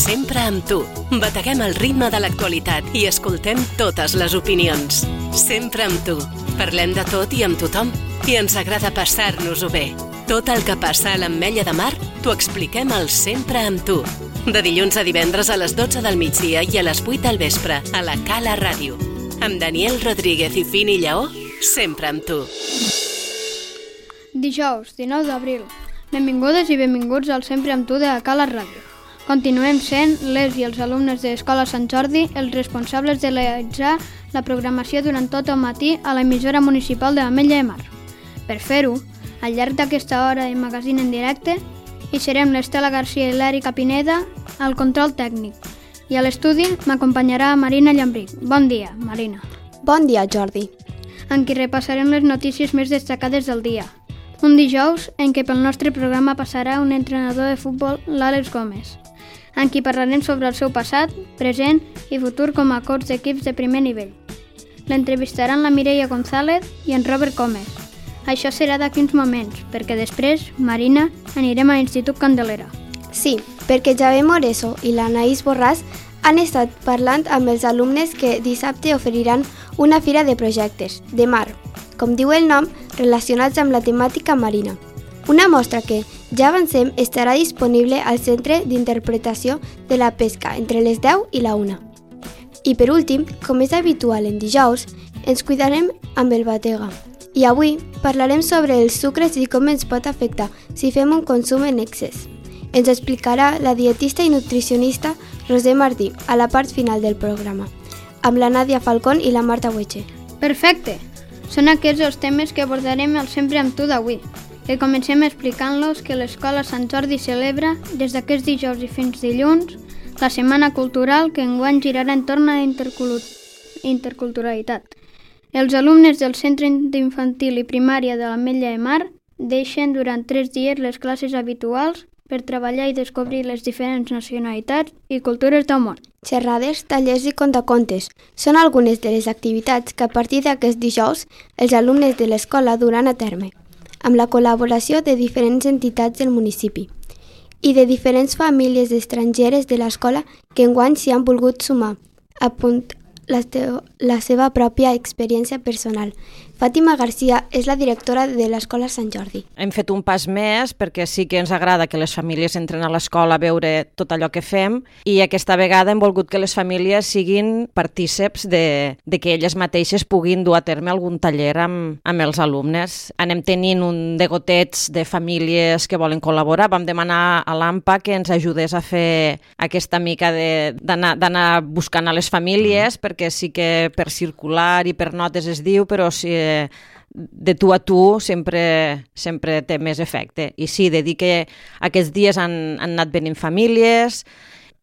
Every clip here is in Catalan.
Sempre amb tu. Bateguem el ritme de l'actualitat i escoltem totes les opinions. Sempre amb tu. Parlem de tot i amb tothom. I ens agrada passar-nos-ho bé. Tot el que passa a l'Ametlla de Mar t'ho expliquem al Sempre amb tu. De dilluns a divendres a les 12 del migdia i a les 8 del vespre a la Cala Ràdio. Amb Daniel Rodríguez i Fini Lleó, sempre amb tu. Dijous, 19 d'abril. Benvingudes i benvinguts al Sempre amb tu de la Cala Ràdio. Continuem sent les i els alumnes de l'Escola Sant Jordi els responsables de realitzar la programació durant tot el matí a l'emissora municipal de l'Ametlla de Mar. Per fer-ho, al llarg d'aquesta hora de magazín en directe, hi serem l'Estela García i l'Èrica Pineda al control tècnic. I a l'estudi m'acompanyarà Marina Llambric. Bon dia, Marina. Bon dia, Jordi. En qui repassarem les notícies més destacades del dia. Un dijous en què pel nostre programa passarà un entrenador de futbol, l'Àlex Gómez, en qui parlarem sobre el seu passat, present i futur com a coach d'equips de primer nivell. L'entrevistaran la Mireia González i en Robert Gómez. Això serà d'aquí uns moments, perquè després, Marina, anirem a l'Institut Candelera. Sí, perquè Javier Moreso i l'Anaïs Borràs han estat parlant amb els alumnes que dissabte oferiran una fira de projectes, de mar, com diu el nom, relacionats amb la temàtica marina. Una mostra que, ja avancem, estarà disponible al Centre d'Interpretació de la Pesca entre les 10 i la 1. I per últim, com és habitual en dijous, ens cuidarem amb el batega. I avui parlarem sobre els sucres i com ens pot afectar si fem un consum en excés. Ens explicarà la dietista i nutricionista Roser Martí a la part final del programa, amb la Nàdia Falcón i la Marta Hueche. Perfecte! Són aquests els temes que abordarem al Sempre amb tu d'avui, que comencem explicant-los que l'Escola Sant Jordi celebra, des d'aquest dijous i fins dilluns, la Setmana Cultural que enguany girarà entorn a la interculturalitat. Els alumnes del Centre d'Infantil i Primària de l'Ametlla de Mar deixen durant 3 dies les classes habituals per treballar i descobrir les diferents nacionalitats i cultures del món. Xerrades, tallers i contacontes són algunes de les activitats que a partir d'aquest dijous els alumnes de l'escola duran a terme, amb la col·laboració de diferents entitats del municipi i de diferents famílies estrangeres de l'escola que enguany s'hi han volgut sumar, la seva pròpia experiència personal. Fàtima Garcia és la directora de l'Escola Sant Jordi. Hem fet un pas més perquè sí que ens agrada que les famílies entren a l'escola a veure tot allò que fem i aquesta vegada hem volgut que les famílies siguin partíceps de que elles mateixes puguin dur a terme algun taller amb els alumnes. Anem tenint un degotets de famílies que volen col·laborar. Vam demanar a l'AMPA que ens ajudés a fer aquesta mica d'anar buscant a les famílies perquè sí que per circular i per notes es diu, però sí de tu a tu sempre té més efecte. I sí, de dir que aquests dies han anat venint famílies,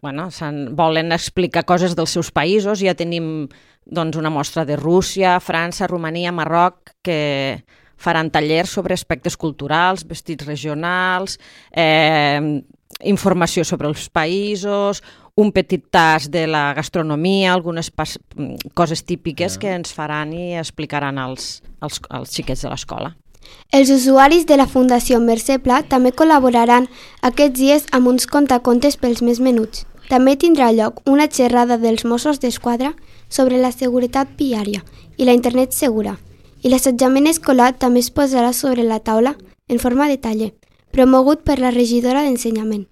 volen explicar coses dels seus països. Ja tenim una mostra de Rússia, França, Romania, Marroc, que faran tallers sobre aspectes culturals, vestits regionals, informació sobre els països, un petit tas de la gastronomia, algunes coses típiques que ens faran i explicaran als xiquets de l'escola. Els usuaris de la Fundació Mercè Pla també col·laboraran aquests dies amb uns contacontes pels més menuts. També tindrà lloc una xerrada dels Mossos d'Esquadra sobre la seguretat viària i la internet segura. I l'assetjament escolar també es posarà sobre la taula en forma de taller, promogut per la regidora d'Ensenyament.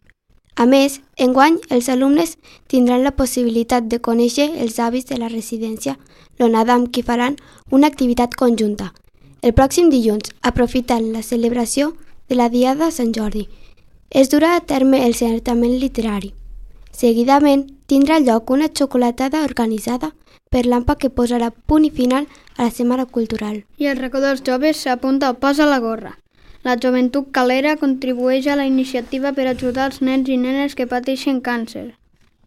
A més, enguany, els alumnes tindran la possibilitat de conèixer els avis de la residència l'onada amb qui faran una activitat conjunta. El pròxim dilluns, aprofitant la celebració de la Diada de Sant Jordi, es durà a terme el certamen literari. Seguidament, tindrà lloc una xocolatada organitzada per l'AMPA que posarà punt i final a la Setmana Cultural. I el racó dels joves s'apunta al pas a la gorra. La Joventut Calera contribueix a la iniciativa per ajudar els nens i nenes que pateixen càncer,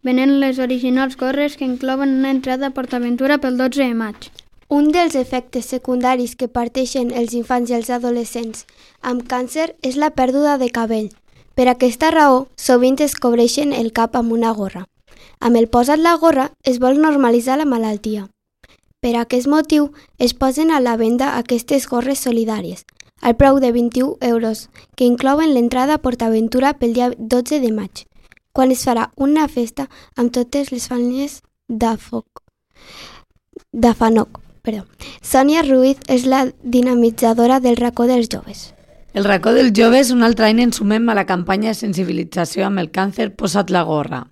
venent les originals gorres que inclouen una entrada a PortAventura pel 12 de maig. Un dels efectes secundaris que parteixen els infants i els adolescents amb càncer és la pèrdua de cabell. Per aquesta raó, sovint es cobreixen el cap amb una gorra. Amb el posat la gorra es vol normalitzar la malaltia. Per aquest motiu, es posen a la venda aquestes gorres solidàries, al preu de 21 euros, que inclouen l'entrada a PortAventura pel dia 12 de maig. quan es farà una festa amb totes les famílies d'Afanoc. Sònia Ruiz és la dinamitzadora del racó dels joves. El racó dels joves un altre any ens sumem a la campanya de sensibilització amb el càncer Posa't la gorra.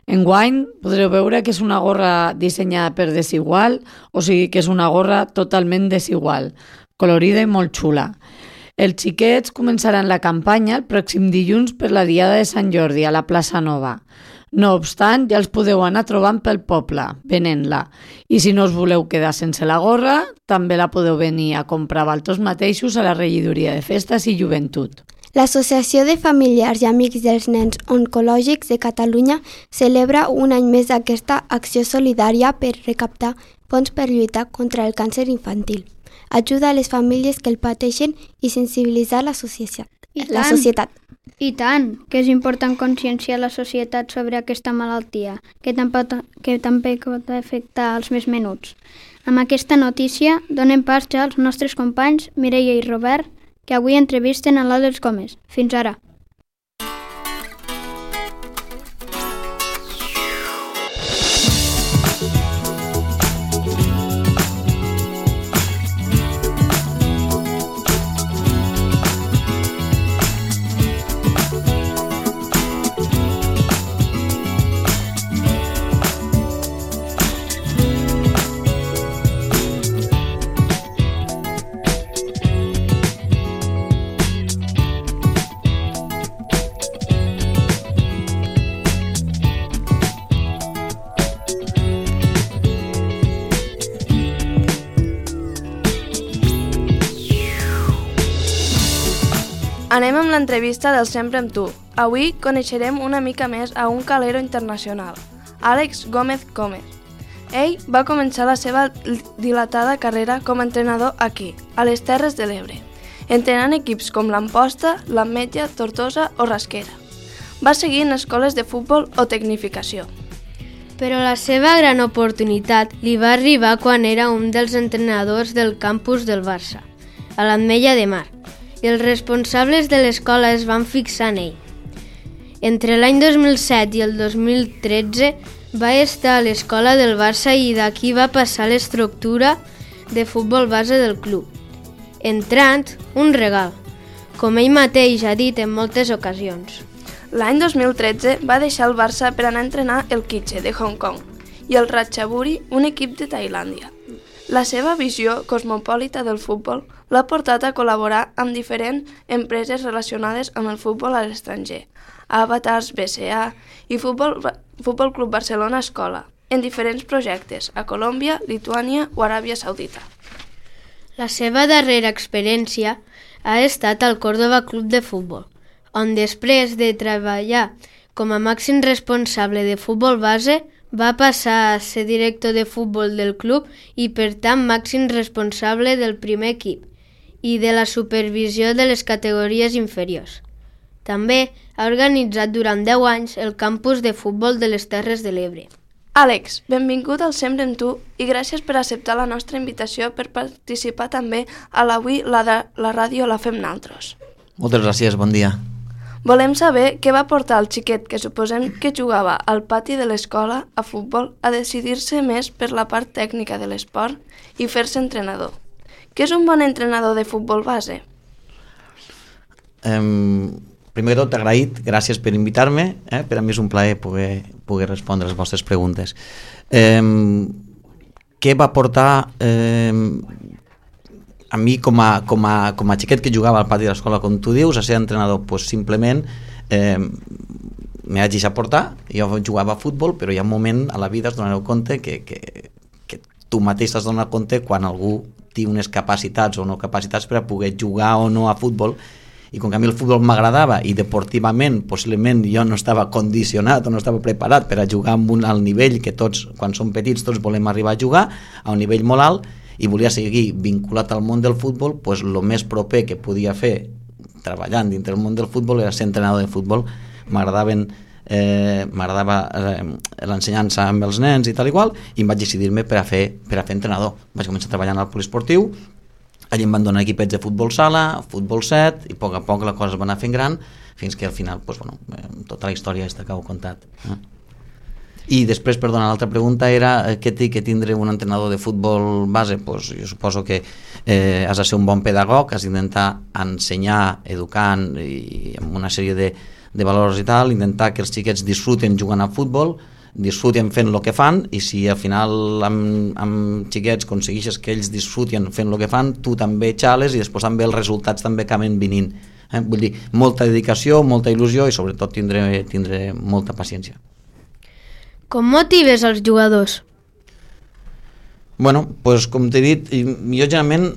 Enguany podreu veure que és una gorra dissenyada per Desigual, o sigui que és una gorra totalment desigual, colorida i molt xula. Els xiquets començaran la campanya el pròxim dilluns per la Diada de Sant Jordi a la plaça Nova. No obstant, ja els podeu anar trobant pel poble, venent-la. I si no us voleu quedar sense la gorra, també la podeu venir a comprar vosaltres mateixos a la regidoria de Festes i Joventut. L'Associació de Familiars i Amics dels Nens Oncològics de Catalunya celebra un any més aquesta acció solidària per recaptar fons per lluitar contra el càncer infantil. Ajuda a les famílies que el pateixen i sensibilitzar la societat. I tant, que és important conscienciar la societat sobre aquesta malaltia, que també pot afectar els més menuts. Amb aquesta notícia donem pas ja als nostres companys Mireia i Robert, que avui entrevisten a l'Àlex Gómez. Fins ara. Anem amb l'entrevista del Sempre amb tu. Avui coneixerem una mica més a un calero internacional, Àlex Gómez Gómez. Ell va començar la seva dilatada carrera com a entrenador aquí, a les Terres de l'Ebre, entrenant equips com l'Amposta, l'Ametlla, Tortosa o Rasquera. Va seguir en escoles de futbol o tecnificació. Però la seva gran oportunitat li va arribar quan era un dels entrenadors del campus del Barça, a l'Ametlla de Mar, i els responsables de l'escola es van fixar en ell. Entre l'any 2007 i el 2013 va estar a l'escola del Barça i d'aquí va passar l'estructura de futbol base del club, entrant un regal, com ell mateix ha dit en moltes ocasions. L'any 2013 va deixar el Barça per anar a entrenar el Kitche de Hong Kong i el Ratchaburi, un equip de Tailàndia. La seva visió cosmopolita del futbol l'ha portat a col·laborar amb diferents empreses relacionades amb el futbol a l'estranger, Avatars, BCA i Futbol Club Barcelona Escola, en diferents projectes a Colòmbia, Lituània o Aràbia Saudita. La seva darrera experiència ha estat al Córdoba Club de Futbol, on després de treballar com a màxim responsable de futbol base, va passar a ser director de futbol del club i, per tant, màxim responsable del primer equip i de la supervisió de les categories inferiors. També ha organitzat durant 10 anys el campus de futbol de les Terres de l'Ebre. Àlex, benvingut al Sempre amb tu i gràcies per acceptar la nostra invitació per participar també a l'Avui la ràdio la fem naltros. Moltes gràcies, bon dia. Volem saber què va portar el xiquet que suposem que jugava al pati de l'escola a futbol a decidir-se més per la part tècnica de l'esport i fer-se entrenador. Què és un bon entrenador de futbol base? Primer de tot, agraït, gràcies per invitar-me. Per a mi és un plaer poder respondre les vostres preguntes. Què va portar a mi com a xiquet que jugava al pati de l'escola, com tu dius, a ser entrenador? Pues simplement me vaig deixar portar. Jo jugava a futbol, però hi ha un moment a la vida, es donareu compte que tu mateix t'has donat compte quan algú té unes capacitats o no capacitats per a poder jugar o no a futbol, i com que a mi el futbol m'agradava i deportivament possiblement jo no estava condicionat o no estava preparat per a jugar al nivell que tots, quan som petits, tots volem arribar a jugar, a un nivell molt alt, i volia seguir vinculat al món del futbol, doncs el més proper que podia fer treballant dintre del món del futbol era ser entrenador de futbol. M'agradava l'ensenyança amb els nens i tal i qual, i em vaig decidir-me per a fer entrenador. Vaig començar treballant al poliesportiu, allà em van donar equipets de futbol sala, futbol 7, i a poc la cosa es va anar fent gran fins que al final tota la història està que ho he contat. I després, perdona, l'altra pregunta era què té que tindre un entrenador de futbol base? Pues jo suposo que has de ser un bon pedagog, has d'intentar ensenyar, educant i amb una sèrie de valors i tal, intentar que els xiquets disfruten jugant a futbol, disfruten fent el que fan, i si al final amb xiquets aconsegueixes que ells disfruten fent el que fan, tu també xales i després també els resultats també acaben venint. Vull dir, molta dedicació, molta il·lusió i sobretot tindre molta paciència. Com motives els jugadors? Bueno, pues, com t'he dit, jo generalment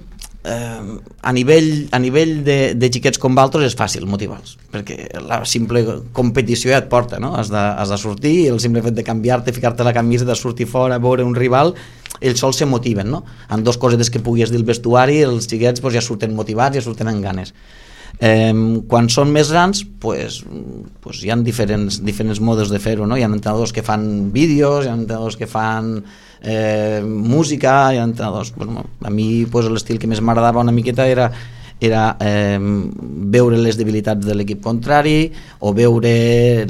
a nivell de xiquets com altres és fàcil motivar-los, perquè la simple competició ja et porta, no? Has de sortir i el simple fet de canviar-te, ficar-te la camisa, de sortir fora, veure un rival, ells sols se motiven, no? Amb dos cosetes que puguis dir al vestuari, els xiquets ja surten motivats, ja surten amb ganes. Quan són més grans hi ha diferents modes de fer-ho, no? Hi ha entrenadors que fan vídeos, hi ha entrenadors que fan música, hi ha entrenadors, a mi l'estil que més m'agradava una miqueta era veure les debilitats de l'equip contrari o veure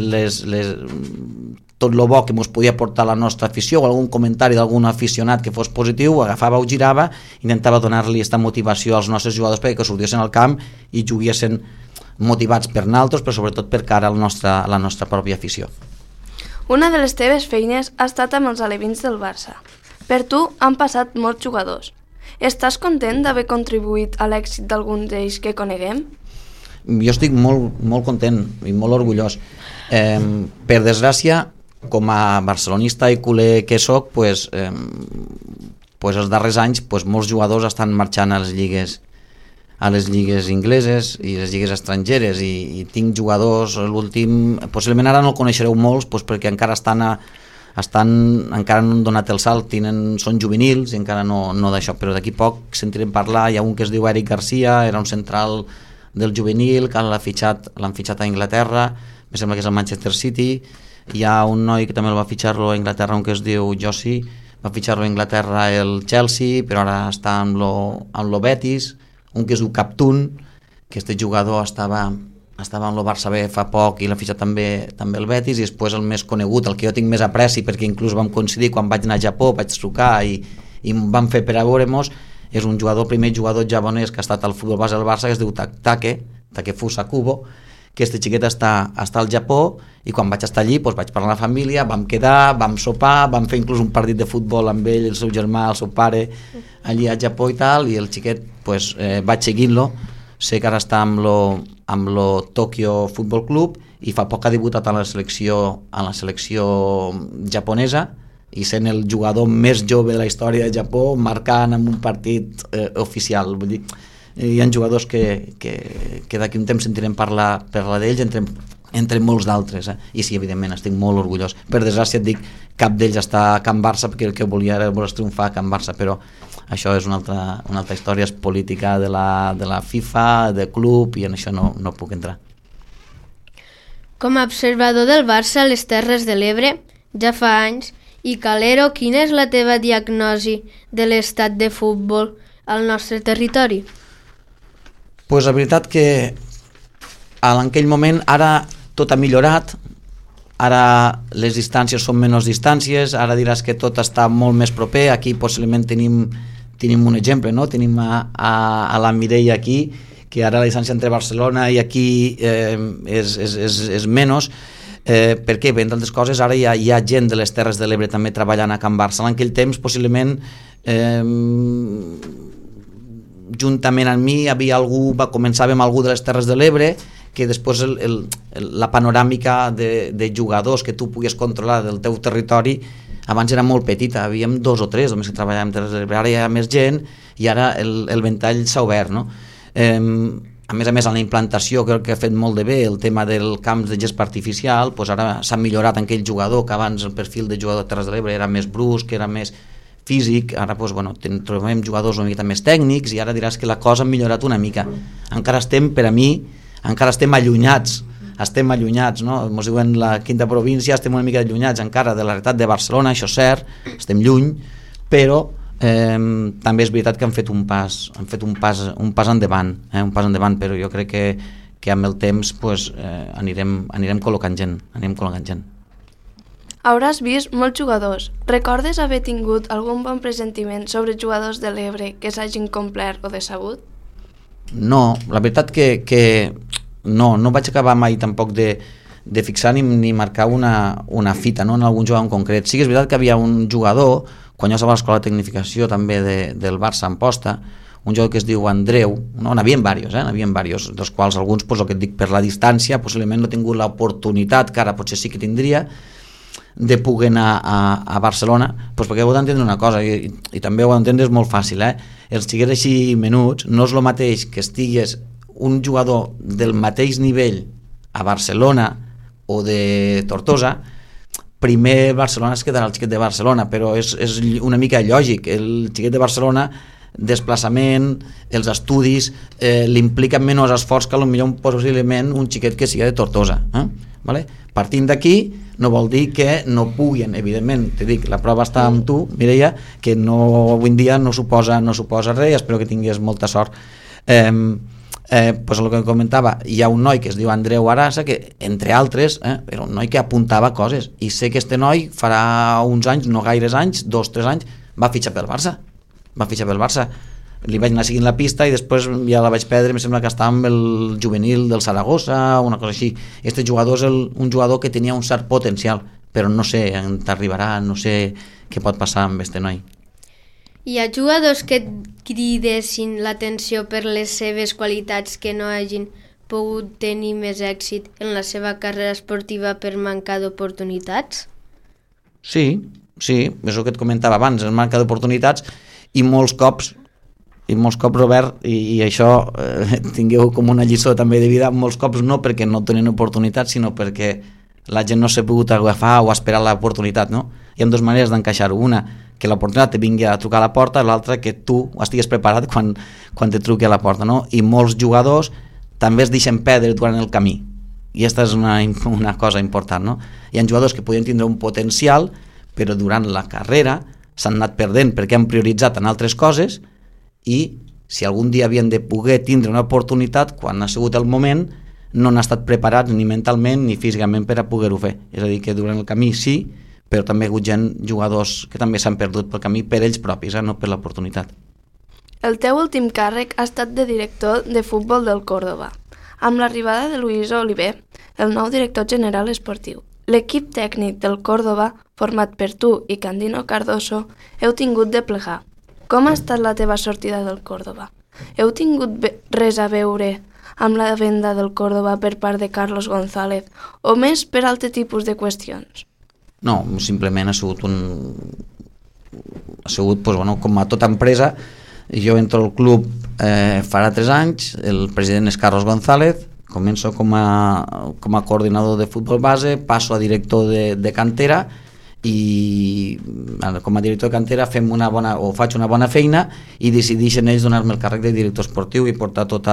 tot el bo que ens podia portar la nostra afició o algun comentari d'algun aficionat que fos positiu, ho agafava, ho girava, intentava donar-li aquesta motivació als nostres jugadors perquè sortissin al camp i juguessin motivats per nosaltres, però sobretot per cara a la nostra pròpia afició. Una de les teves feines ha estat amb els alevins del Barça. Per tu han passat molts jugadors. Estàs content d'haver contribuït a l'èxit d'algun d'ells que coneguem? Jo estic molt content i molt orgullós. Per desgràcia, com a barcelonista i culer que soc, els darrers anys molts jugadors estan marxant a les lligues ingleses i les lligues estrangeres i tinc jugadors, l'últim, possiblement ara no el coneixereu molts perquè encara encara no han donat el salt, són juvenils i encara no d'això, però d'aquí poc sentirem parlar. Hi ha un que es diu Eric Garcia, era un central del juvenil que l'han fitxat a Anglaterra, em sembla que és el Manchester City. Hi ha un noi que també el va fitxar-lo a Anglaterra, un que es diu Josi, va fitxar-lo a Anglaterra el Chelsea, però ara està amb lo Betis. Un que es diu Captun, que este jugador estava amb el Barça B fa poc i l'ha fitxat també el Betis. I després el més conegut, el que jo tinc més apreci, perquè inclús vam coincidir quan vaig anar a Japó, vaig trucar i vam fer per a veure-mos, és un primer jugador japonès que ha estat al futbol base del Barça, que es diu Takefusa Kubo, que este xiquet està al Japó, i quan vaig estar allí vaig parlar amb la família, vam quedar, vam sopar, vam fer inclús un partit de futbol amb ell, el seu germà, el seu pare, allí al Japó i tal, i el xiquet vaig seguint-lo. Sé que ara està amb lo Tokyo Football Club i fa poc ha debutat a la selecció japonesa i sent el jugador més jove de la història de Japó, marcant en un partit oficial. Vull dir, hi ha jugadors que d'aquí un temps sentirem parlar d'ells entre molts d'altres, i sí, evidentment estic molt orgullós. Per desgràcia et dic, cap d'ells està a Can Barça perquè el que volia era voler triomfar a Can Barça, però això és una altra història, és política de la FIFA, de club, i en això no puc entrar. Com a observador del Barça a les Terres de l'Ebre, ja fa anys, i Calero, quina és la teva diagnosi de l'estat de futbol al nostre territori? La veritat que en aquell moment ara tot ha millorat, ara les distàncies són menys distàncies, ara diràs que tot està molt més proper. Aquí possiblement tenim un exemple, no? Tenim a la Mireia aquí, que ara la distància entre Barcelona i aquí és menys. Per què? Bé, entre altres coses, ara hi ha gent de les Terres de l'Ebre també treballant a Can Barça. En aquell temps possiblement juntament amb mi començàvem algú de les Terres de l'Ebre, que després la panoràmica de jugadors que tu puguis controlar del teu territori abans era molt petita, havíem 2 o 3 només que treballàvem, ara hi ha més gent i ara el ventall s'ha obert, no? A més, en la implantació crec que ha fet molt de bé el tema del camp de gespa artificial, ara s'ha millorat en aquell jugador que abans el perfil de jugador de Terres de l'Ebre era més brusc, era més físic, ara trobem jugadors una mica més tècnics i ara diràs que la cosa ha millorat una mica. Encara estem, per a mi, allunyats, no? Ens diuen la 5a província, estem una mica allunyats encara de la realitat de Barcelona, això és cert, estem lluny, però també és veritat que han fet un pas endavant, però jo crec que amb el temps pues, anirem col·locant gent. Hauràs vist molts jugadors. Recordes haver tingut algun bon presentiment sobre jugadors de l'Ebre que s'hagin complert o decebut? No, la veritat que no vaig acabar mai tampoc de fixar ni marcar una fita, no, en algun jugador en concret. Sí que és veritat que havia un jugador, quan jo estava a l'escola de tecnificació també del Barça en posta, un jugador que es diu Andreu, no, n'havien diversos, dels quals alguns, pues, el que et dic, per la distància, possiblement no he tingut l'oportunitat, que ara potser sí que tindria, de poder anar a Barcelona, doncs perquè heu d'entendre una cosa, i també ho entendre és molt fàcil, els xiquets així menuts, no és el mateix que estigues un jugador del mateix nivell a Barcelona o de Tortosa. Primer Barcelona es quedarà el xiquet de Barcelona, però és una mica lògic, el xiquet de Barcelona, desplaçament, els estudis, li impliquen menys esforç que potser possiblement un xiquet que sigui de Tortosa, vale? Partint d'aquí no vol dir que no puguin, evidentment, te dic, la prova està amb tu, Mireia, que avui en dia no suposa res, espero que tinguis molta sort. Pues el que comentava, hi ha un noi que es diu Andreu Arasa, que entre altres era un noi que apuntava coses, i sé que este noi farà uns anys, no gaires anys, 2-3 anys, va fitxar pel Barça, li vaig anar seguint la pista i després ja la vaig perdre, em sembla que estava amb el juvenil del Saragossa, una cosa així. Este jugador és un jugador que tenia un cert potencial, però no sé on t'arribarà, no sé què pot passar amb este noi. Hi ha jugadors que et cridessin l'atenció per les seves qualitats que no hagin pogut tenir més èxit en la seva carrera esportiva per mancar d'oportunitats? Sí, és el que et comentava abans, el manca d'oportunitats, i molts cops, Robert, i això tingueu com una lliçó també de vida, molts cops no perquè no tenen oportunitats, sinó perquè la gent no s'ha pogut agafar o esperar l'oportunitat, no? Hi ha dues maneres d'encaixar-ho, una, que l'oportunitat te vingui a trucar a la porta, l'altra, que tu estigues preparat quan te truqui a la porta, no? I molts jugadors també es deixen perdre durant el camí, i aquesta és una cosa important, no? Hi ha jugadors que podien tindre un potencial, però durant la carrera s'han anat perdent perquè han prioritzat en altres coses, i si algun dia havien de poder tindre una oportunitat, quan ha sigut el moment, no han estat preparats ni mentalment ni físicament per a poder-ho fer. És a dir, que durant el camí sí, però també hi ha hagut jugadors que també s'han perdut pel camí per ells propis, no per l'oportunitat. El teu últim càrrec ha estat de director de futbol del Córdoba, amb l'arribada de Luis Oliver, el nou director general esportiu. L'equip tècnic del Córdoba, format per tu i Candino Cardoso, heu tingut de plegar. Com ha estat la teva sortida del Córdoba? Heu tingut res a veure amb la venda del Córdoba per part de Carlos González o més per altre tipus de qüestions? No, simplement ha sigut com a tota empresa. Jo entro al club farà 3 anys, el president és Carlos González, començo com a coordinador de futbol base, passo a director de cantera, i com a director de cantera faig una bona feina i decideixen ells donar-me el càrrec de director esportiu i portar tot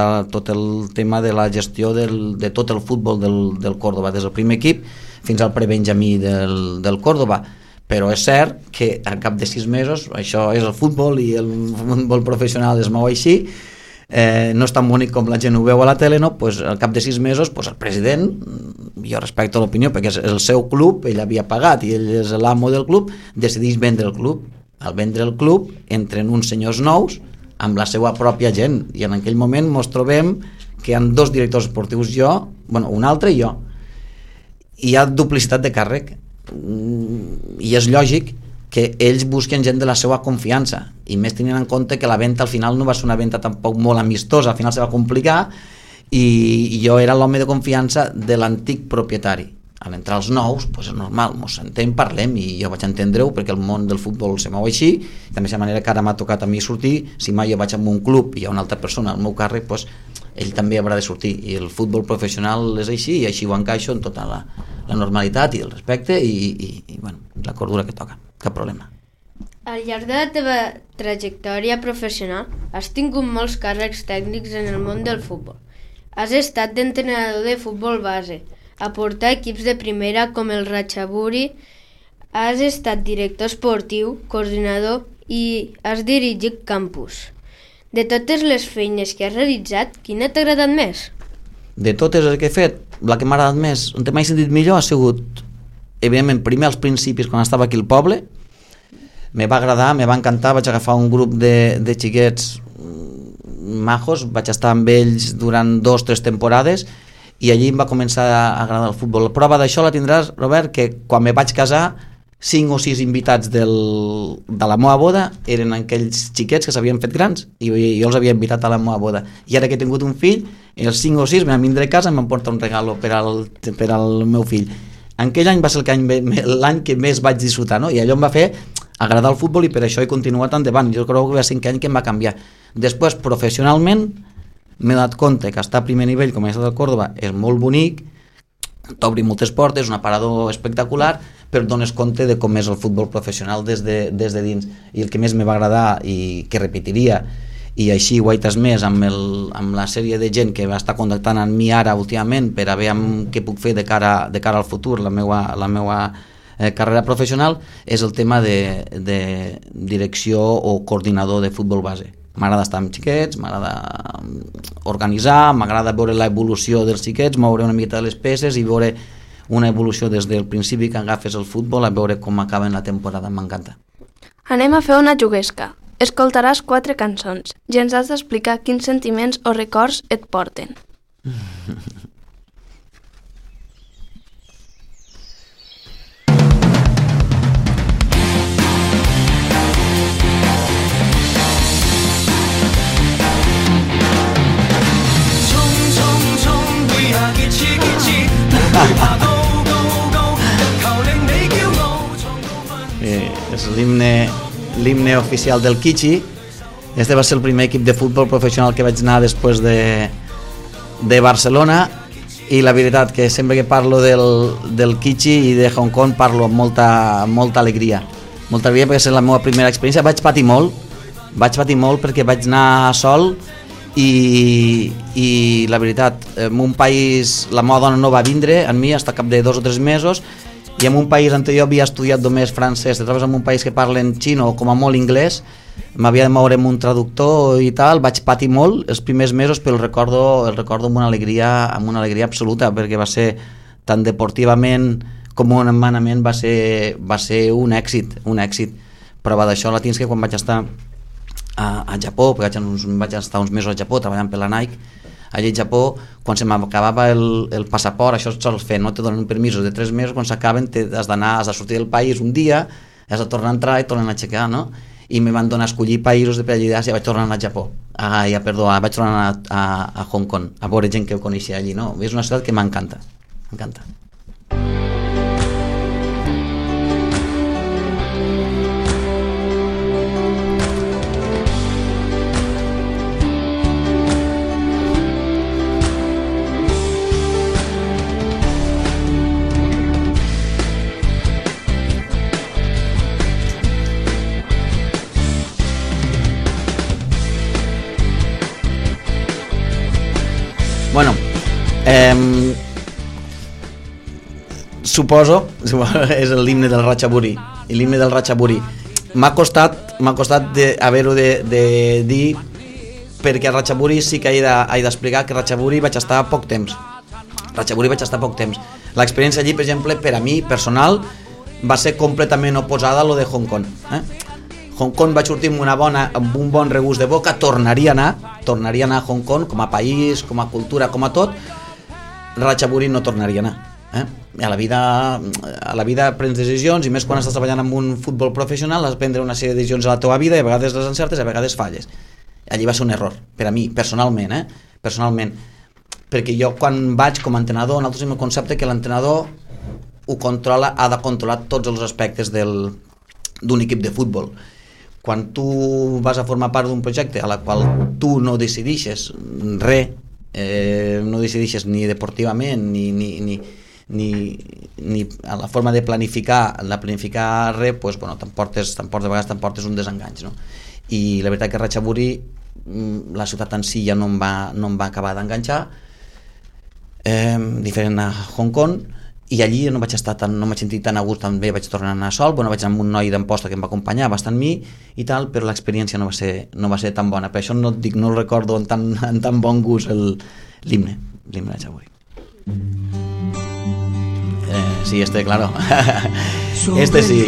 el tema de la gestió de tot el futbol del Córdoba, des del primer equip fins al prebenjamí del Córdoba. Però és cert que al cap de 6 mesos, això és el futbol i el futbol professional es mou així, no és tan bonic com la gent ho veu a la tele, no? Pues al cap de 6 mesos el president, jo respecto l'opinió perquè és el seu club, ell havia pagat i ell és l'amo del club, decideix vendre el club. Al vendre el club entren uns senyors nous amb la seva pròpia gent, i en aquell moment ens trobem que hi ha 2 directors esportius, un altre i jo, i hi ha duplicitat de càrrec, i és lògic que ells busquen gent de la seva confiança, i més tenint en compte que la venda al final no va ser una venda tampoc molt amistosa, al final se va complicar, i jo era l'home de confiança de l'antic propietari. Al entrar els nous, és normal, ens sentem, parlem, i jo vaig entendre-ho perquè el món del futbol se mou així, i també la manera que ara m'ha tocat a mi sortir, si mai jo vaig a un club i hi ha una altra persona al meu càrrec, ell també haurà de sortir, i el futbol professional és així, i així ho encaixo en tota la normalitat i el respecte i la cordura que toca, cap problema. Al llarg de la teva trajectòria professional has tingut molts càrrecs tècnics en el món del futbol. Has estat d'entrenador de futbol base, a portar equips de primera com el Ratchaburi, has estat director esportiu, coordinador i has dirigit campus. De totes les feines que has realitzat, quina t'ha agradat més? De totes les que he fet, la que m'ha agradat més, on m'he sentit millor, ha sigut, evidentment, primer als principis, quan estava aquí al poble. Me va agradar, me va encantar, vaig agafar un grup de xiquets majos, vaig estar amb ells durant 2 o 3 temporades i allí em va començar a agradar el futbol. La prova d'això la tindràs, Robert, que quan me vaig casar 5 o 6 invitats de la meva boda eren aquells xiquets que s'havien fet grans i jo els havia invitat a la meva boda. I ara que he tingut un fill, els 5 o 6 me van vindre a casa i em van portar un regalo per al meu fill. Aquell any va ser l'any que més vaig disfrutar, no? I allò em va fer agradar el futbol i per això he continuat endavant. Jo crec que va ser 5 anys que em va canviar. Després, professionalment, m'he donat compte que estar a primer nivell com a estat del Córdoba és molt bonic, t'obri moltes portes, un aparador espectacular, però et dones compte de com és el futbol professional des de dins. I el que més me va agradar i que repetiria, i així ho he transmès amb la sèrie de gent que va estar contactant amb mi ara últimament per a veure què puc fer de cara al futur, la meua carrera professional, és el tema de direcció o coordinador de futbol base. M'agrada estar amb xiquets, m'agrada organitzar, m'agrada veure l'evolució dels xiquets, moure una miqueta les peces i veure una evolució des del principi que agafes el futbol a veure com acaba en la temporada, m'encanta. Anem a fer una juguesca. Escoltaràs 4 cançons i ens has d'explicar quins sentiments o records et porten. És l'himne oficial del Kichi. Este va ser el primer equip de futbol professional que vaig anar després de Barcelona i la veritat que sempre que parlo del Kichi i de Hong Kong parlo amb molta alegria. Molta alegria perquè és la meva primera experiència. Vaig patir molt perquè vaig anar sol i la veritat, en un país, la meva dona no va vindre amb mi fins cap de 2 o 3 mesos i en un país on jo havia estudiat només francès, te trobes en un país que parlen xino o com a molt inglès, m'havia de moure amb un traductor i tal, vaig patir molt els primers mesos, però el recordo amb una alegria absoluta, perquè va ser tant deportivament com humanament va ser un èxit. Prova d'això la tens que quan vaig estar a Japó, perquè vaig estar uns mesos a Japó treballant per la Nike, allà al Japó, quan se m'acabava el passaport, això es sol fer, no te donen permisos de 3 mesos, quan s'acaben has de sortir del país un dia, has de tornar a entrar i tornar a aixecar, no? I me van donar a escollir països de per allà i vaig tornar a anar a Japó, vaig tornar a Hong Kong, a veure gent que ho coneixia allí, no? És una ciutat que m'encanta. Bueno, suposo és l'himne del Ratchaburi. L'himne del Ratchaburi m'ha costat haver-ho de dir, perquè a Ratchaburi sí que he d'explicar que Ratchaburi vaig estar poc temps. L'experiència allí, per exemple, per a mi personal va ser completament oposada a lo de Hong Kong. Hong Kong vaig sortir amb un bon regust de boca, tornaria a anar a Hong Kong com a país, com a cultura, com a tot. Ratchaburi no tornaria a anar. A la vida prens decisions, i més quan estàs treballant en un futbol professional, has de prendre una sèrie de decisions a la teva vida i a vegades les encertes i a vegades falles. Allí va ser un error, per a mi, personalment, perquè jo quan vaig com a entrenador, nosaltres tenim el concepte que l'entrenador ha de controlar tots els aspectes d'un equip de futbol. Quan tu vas a formar part d'un projecte a la qual tu no decidixes res, no decidixes ni deportivament ni a la forma de planificar res, pues, bueno, de vegades t'emportes un desenganys, no? I la veritat que Ratchaburi, la ciutat en si ja no em va acabar d'enganxar, diferent a Hong Kong, i allí no vaig sentir tan a gust, també vaig tornar a anar sol, vaig anar amb un noi d'Amposta que em va acompanyar bastant mi i tal, però l'experiència no va ser tan bona, per això no el recordo en tan bon gust l'himne de Txaguri. Sí, claro. Este sí.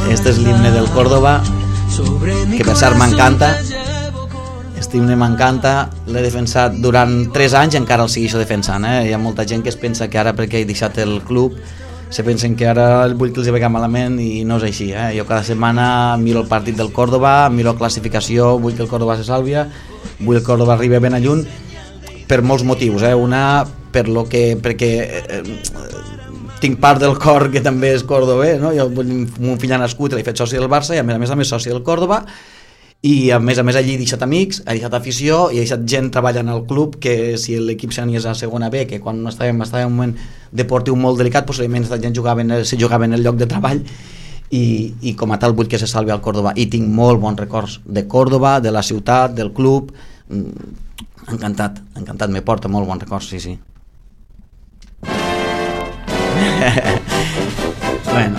Este és l'himne del Córdoba, que per cert m'encanta. Este himne m'encanta, l'he defensat durant 3 anys i encara el segueixo defensant. Hi ha molta gent que es pensa que ara, perquè he deixat el club, se pensen que ara vull que els vegi malament, i no és així. Jo cada setmana miro el partit del Córdoba, miro la classificació, vull que el Córdoba se salvi, vull que el Córdoba arribi ben a lluny, per molts motius. Una, perquè tinc part del cor que també és cordobè, no? Jo, mon fill ha nascut, l'he fet soci del Barça i a més soci del Córdoba, i a més allí he deixat amics, he deixat afició i he deixat gent treballant al club, que si l'equip s'aniés a segona B, que quan estàvem en un moment deportiu molt delicat, possiblement aquesta gent se jugava en el lloc de treball, i com a tal vull que se salvi al Córdoba, i tinc molt bons records de Córdoba, de la ciutat, del club. Encantat, me porta molt bons records, sí. Bueno,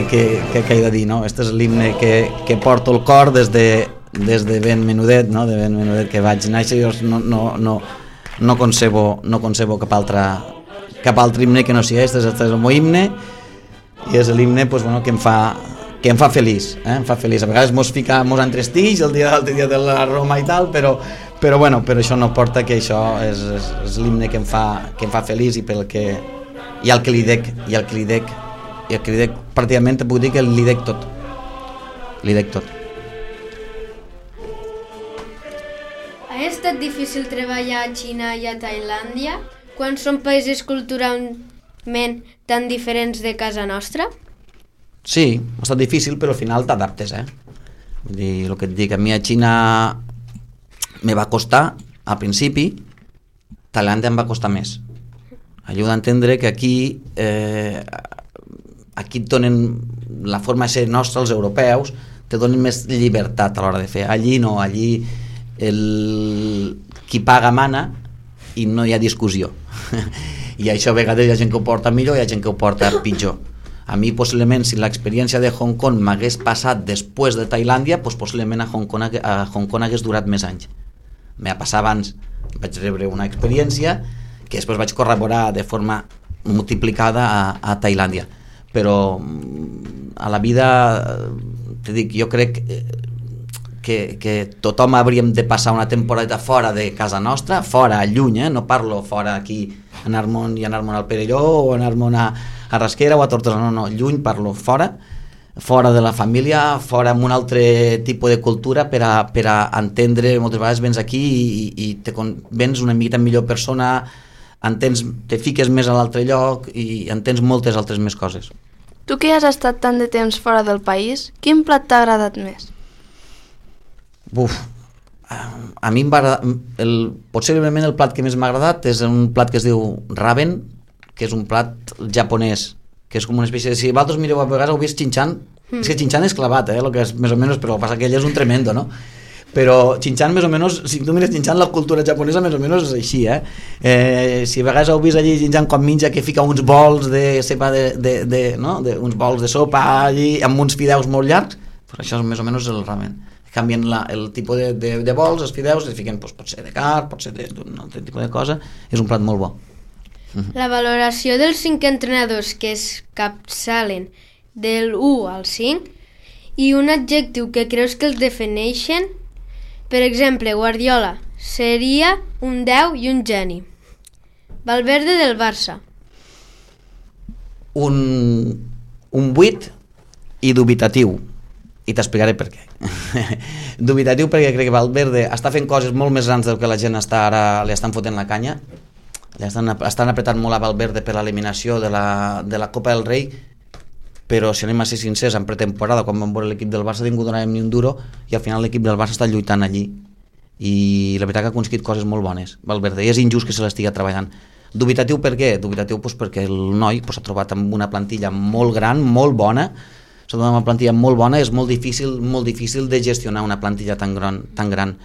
que he de dir, no? Este és l'himne que porto el cor des de ben menudet, no? De ben menudet que vaig néixer. Jo no concebo cap altre himne que no sigui este és el meu himne, i és l'himne que em fa feliç, em fa feliç. A vegades mos entrestix el l'altre dia de la Roma i tal, però això no porta, que això és l'himne que em fa feliç, i el que li dec pràcticament puc dir que li dec tot. Ha estat difícil treballar a Xina i a Tailàndia quan són països culturalment tan diferents de casa nostra? Sí, ha estat difícil, però al final t'adaptes, Vull dir, el que et dic, a mi a Xina me va costar al principi, Tailàndia em va costar més. Ajuda a entendre que aquí et donen la forma de ser nostra, els europeus, te donen més llibertat a l'hora de fer. Allí no, allí qui paga mana i no hi ha discussió. I això a vegades hi ha gent que ho porta millor i hi ha gent que ho porta pitjor. A mi, possiblement, si l'experiència de Hong Kong m'hagués passat després de Tailàndia, possiblement a Hong Kong hagués durat més anys. Me va passar abans, vaig rebre una experiència que després vaig corroborar de forma multiplicada a Tailàndia. Però a la vida, te dic, jo crec que tothom hauríem de passar una temporada fora de casa nostra, fora, lluny, no parlo fora aquí, anar-me'n al Perelló o anar-me'n a Rasquera o a Tortosa, no, lluny, parlo fora de la família, fora amb un altre tipus de cultura per a entendre. Moltes vegades vens aquí i vens una miqueta millor persona, te fiques més a l'altre lloc i entens moltes altres més coses. Tu que has estat tant de temps fora del país, quin plat t'ha agradat més? A mi possiblement el plat que més m'ha agradat és un plat que es diu ramen, que és un plat japonès, que és com una espècie de... Si vosaltres mireu, a vegades heu vist Chinchan, és que Chinchan és clavat, el que és més o menys, però passa que ell és un tremendo, no? Però Chinchan, més o menys, si tu mires Chinchan, la cultura japonesa més o menys és així, si a vegades heu vist allí Chinchan com menja, que fica uns bols de sopa, uns bols de sopa allí, amb uns fideus molt llargs, però això és més o menys el ramen. Canvien el tipus de bols, els fideus, i fiquen, pot ser de carn, pot ser d'un altre tipus de cosa, és un plat molt bo. La valoració dels 5 entrenadors que es capçalen del 1 al 5 i un adjectiu que creus que els defineixen. Per exemple, Guardiola seria un 10 i un geni. Valverde del Barça. Un 8 i dubitatiu. I t'explicaré per què. Dubitatiu perquè crec que Valverde està fent coses molt més grans del que la gent ara li estan fotent la canya. Estan apretant molt a Valverde per l'eliminació de la Copa del Rei, però si anem a ser sincers, en pretemporada, quan vam veure l'equip del Barça, ningú donàvem ni un duro, i al final l'equip del Barça està lluitant allí, i la veritat que ha aconseguit coses molt bones, Valverde, i és injust que se l'estigui treballant. Dubitatiu per què? Dubitatiu perquè el noi s'ha trobat amb una plantilla molt gran, molt bona, s'ha trobat amb una plantilla molt bona, és molt difícil de gestionar una plantilla tan gran,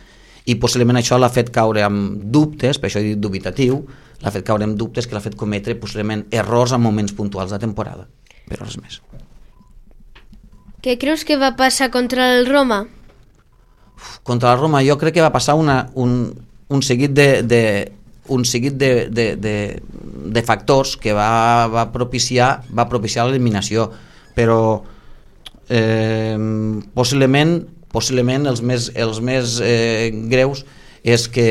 i possiblement això l'ha fet caure amb dubtes, per això he dit dubitatiu, l'ha fet caure amb dubtes que l'ha fet cometre possiblement errors en moments puntuals de temporada, però res més. Què creus que va passar contra el Roma? Contra la Roma jo crec que va passar un seguit de factors que va propiciar l'eliminació, però possiblement els més greus és que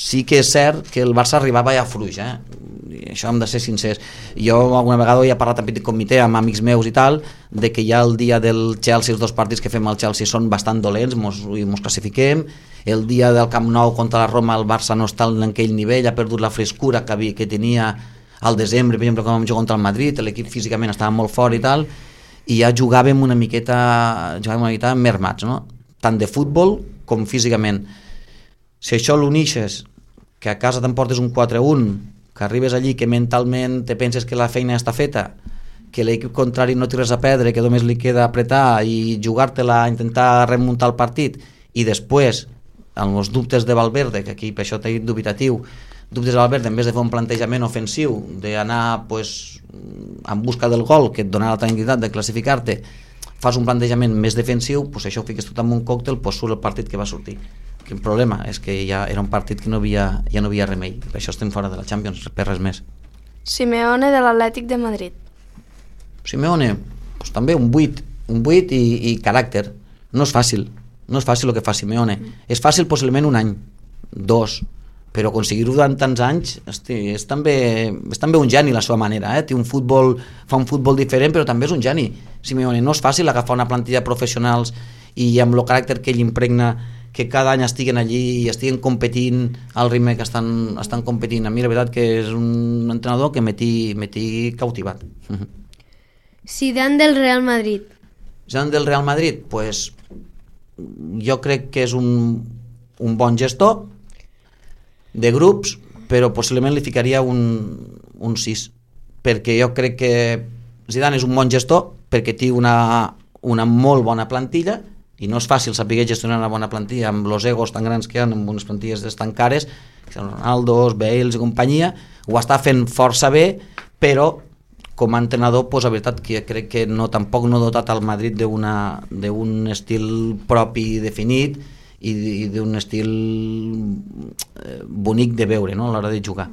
sí que és cert que el Barça arribava ja fluix, i això hem de ser sincers. Jo alguna vegada he parlat en petit comitè amb amics meus i tal, de que ja el dia del Chelsea, els 2 partits que fem al Chelsea són bastant dolents, mos classifiquem, el dia del Camp Nou contra la Roma el Barça no està en aquell nivell, ha perdut la frescura que tenia al desembre, per exemple, quan vam jugar contra el Madrid, l'equip físicament estava molt fort i tal, i ja jugàvem una miqueta mermats, no? Tant de futbol com físicament. Si això l'unixes, que a casa t'emportes un 4-1, que arribes allí, que mentalment te penses que la feina està feta, que l'equip contrari no té res a perdre, que només li queda apretar i jugar-te-la, intentar remuntar el partit, i després, amb els dubtes de Valverde, que aquí per això t'he dit dubitatiu, dubtes de Valverde, en vez de fer un plantejament ofensiu, d'anar en busca del gol, que et donarà la tranquil·litat de classificar-te, fas un plantejament més defensiu, això ho fiques tot en un còctel, surt el partit que va sortir. El problema és que ja era un partit que ja no havia remei, per això estem fora de la Champions, per res més. Simeone de l'Atlètic de Madrid. Simeone, també un 8 i caràcter. No és fàcil el que fa Simeone. És fàcil possiblement un any, 2, però aconseguir-ho durant tants anys és també un geni la seva manera, fa un futbol diferent, però també és un geni. Simeone, no és fàcil agafar una plantilla de professionals i amb el caràcter que ell impregna, que cada any estiguen allí i estiguen competint al ritme que estan competint. A mi la veritat que és un entrenador que m'he cautivat. Zidane del Real Madrid. Zidane del Real Madrid, pues jo crec que és un bon gestor de grups, però possiblement li ficaria un 6, perquè jo crec que Zidane és un bon gestor perquè té una molt bona plantilla, i no és fàcil saber gestionar una bona plantilla amb els egos tan grans que hi ha, amb unes plantilles tan cares, Ronaldo, Bale i companyia, ho està fent força bé, però com a entrenador, la veritat que crec que tampoc no ha dotat al Madrid d'un estil propi definit i d'un estil bonic de veure, no?, a l'hora de jugar.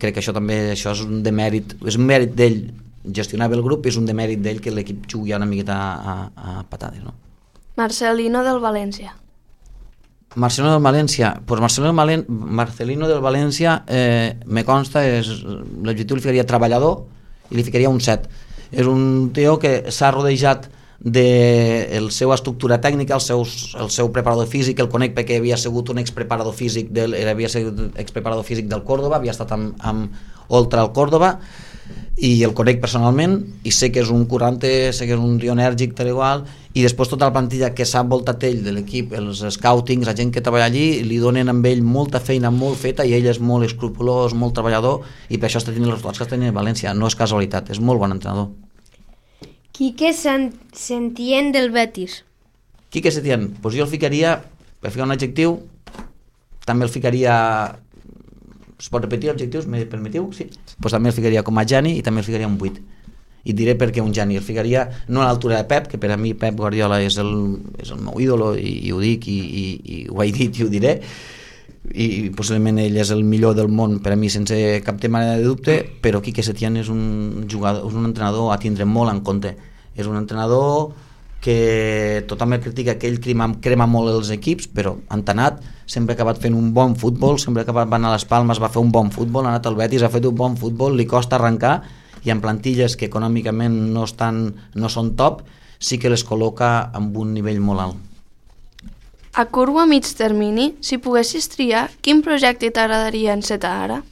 Crec que això també és un demèrit, és un mèrit d'ell gestionar bé el grup, és un demèrit d'ell que l'equip jugui una miqueta a patades, no? Marcelino del València. Marcelino del València me consta, l'adjectiu li ficaria treballador i li ficaria un 7. És un tio que s'ha rodejat de la seva estructura tècnica, el seu preparador físic, el conec perquè havia sigut un expreparador físic del Córdoba, havia estat amb Oltra al Córdoba, i el conec personalment i sé que és un currante, sé que és un tio enèrgic, tal igual, i després tota la plantilla que s'ha envoltat ell de l'equip, els scoutings, la gent que treballa allí, li donen amb ell molta feina molt feta i ell és molt escrupolós, molt treballador, i per això està tenint els resultats que està tenint a València. No és casualitat, és molt bon entrenador. Quique Setién del Betis. Quique Setién, doncs jo el ficaria, per ficar un adjectiu, també el ficaria... Es pot repetir objectius, me permetiu? Sí. Pues també el ficaria com a geni i també el ficaria un 8. I diré per què un geni. El ficaria no a l'altura de Pep, que per a mi Pep Guardiola és el meu ídolo i ho dic i ho he dit i ho diré, i possiblement ell és el millor del món per a mi sense cap manera de dubte, però Quique Setién és un jugador, és un entrenador a tindre molt en compte. És un entrenador que tothom el critica, que ell crema molt els equips, però entenat, sempre ha acabat fent un bon futbol, sempre ha acabat anar a les Palmes, va fer un bon futbol, ha anat al Betis, ha fet un bon futbol, li costa arrencar, i en plantilles que econòmicament no són top, sí que les col·loca amb un nivell molt alt. A curt o a mig termini, si poguessis triar, quin projecte t'agradaria encetar ara?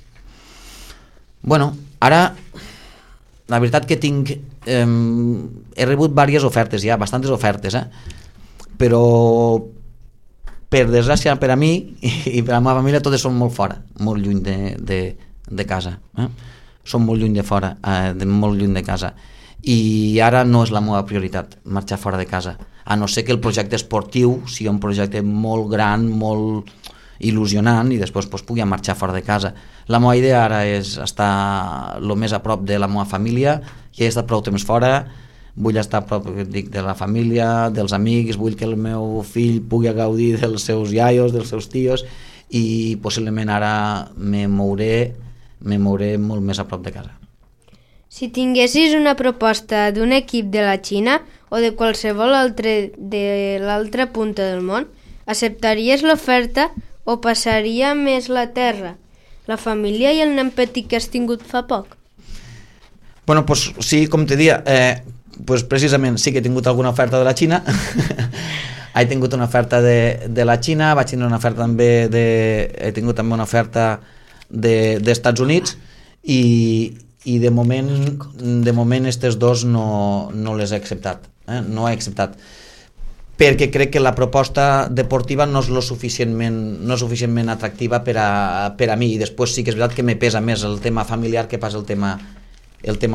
Bueno, ara la veritat que tinc... he rebut diverses ofertes ja, bastantes ofertes, però per desgràcia per a mi i per a la meva família totes són molt fora, molt lluny de casa, són molt lluny de fora, molt lluny de casa, i ara no és la meva prioritat marxar fora de casa. a no ser que el projecte esportiu sigui un projecte molt gran, molt il·lusionant, i després pugui marxar fora de casa. La meva idea ara és estar el més a prop de la meva família. Ja he estat prou temps fora, vull estar a prop, dic, de la família, dels amics, vull que el meu fill pugui gaudir dels seus iaios, dels seus tios, i possiblement ara me mouré molt més a prop de casa. Si tinguessis una proposta d'un equip de la Xina o de qualsevol altre de l'altra punta del món, acceptaries l'oferta o passaria més la terra, la família i el nen petit que has tingut fa poc? Bueno, pues sí, com te dia, pues precisament sí que he tingut alguna oferta de la Xina. He tingut una oferta de la Xina, vaig tindre una oferta també he tingut també una oferta d'Estats Units, i de moment estes dos no les he acceptat, no he acceptat, perquè crec que la proposta deportiva no és lo suficientment atractiva per a mi, i després sí que és veritat que me pesa més el tema familiar que pas el tema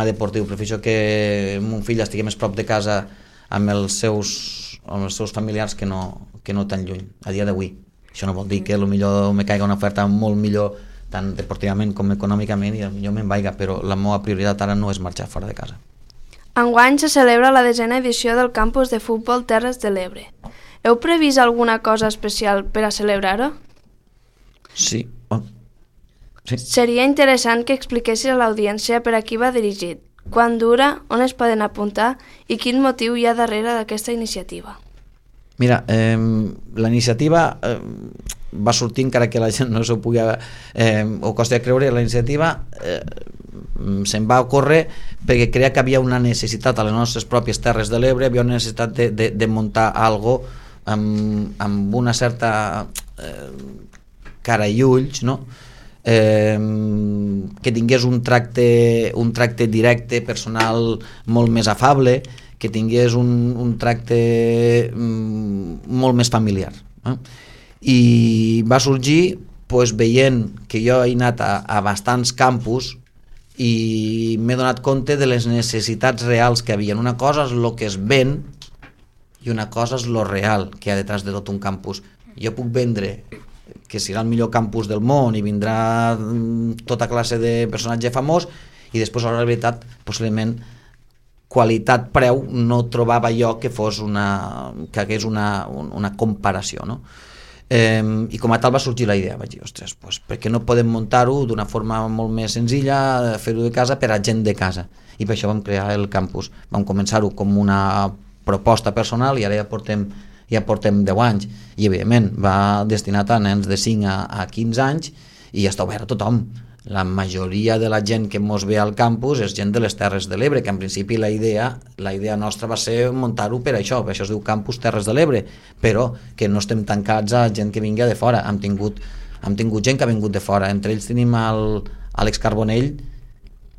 deportiu. Prefereixo que mon fill estigui més prop de casa amb els seus familiars que no tan lluny, a dia d'avui. Això no vol dir que potser me caiga una oferta molt millor tant deportivament com econòmicament i potser me'n vaiga, però la meva prioritat ara no és marxar fora de casa. Enguany se celebra la 10ª edició del campus de futbol Terres de l'Ebre. Heu previst alguna cosa especial per a celebrar-ho? Sí. Sí. Seria interessant que expliquessis a l'audiència per a qui va dirigit, quan dura, on es poden apuntar i quin motiu hi ha darrere d'aquesta iniciativa. Mira, la iniciativa va sortir, encara que la gent no s'ho pugui o costa de creure, la iniciativa se'n va ocórrer perquè creia que havia una necessitat a les nostres pròpies Terres de l'Ebre, havia una necessitat de muntar algo amb una certa cara i ulls, no? Que tingués un tracte directe, personal, molt més afable, que tingués un tracte molt més familiar. I va sorgir veient que jo he anat a bastants campus i m'he donat compte de les necessitats reals que hi havia. Una cosa és el que es ven i una cosa és lo real que hi ha detrás de tot un campus. Jo puc vendre que serà el millor campus del món i vindrà tota classe de personatge famós, i després a la veritat possiblement qualitat-preu no trobava jo que hagués una comparació, no? I com a tal va sorgir la idea, vaig dir, ostres, per què no podem muntar-ho d'una forma molt més senzilla, fer-ho de casa per a gent de casa, i per això vam crear el campus. Vam començar-ho com una proposta personal i ara ja portem 10 anys, i evidentment va destinat a nens de 5 a 15 anys i ja està obert a tothom. La majoria de la gent que mos ve al campus és gent de les Terres de l'Ebre, que en principi la idea nostra va ser muntar-ho per això es diu Campus Terres de l'Ebre, però que no estem tancats a gent que vingui de fora. Hem tingut gent que ha vingut de fora, entre ells tenim Àlex Carbonell,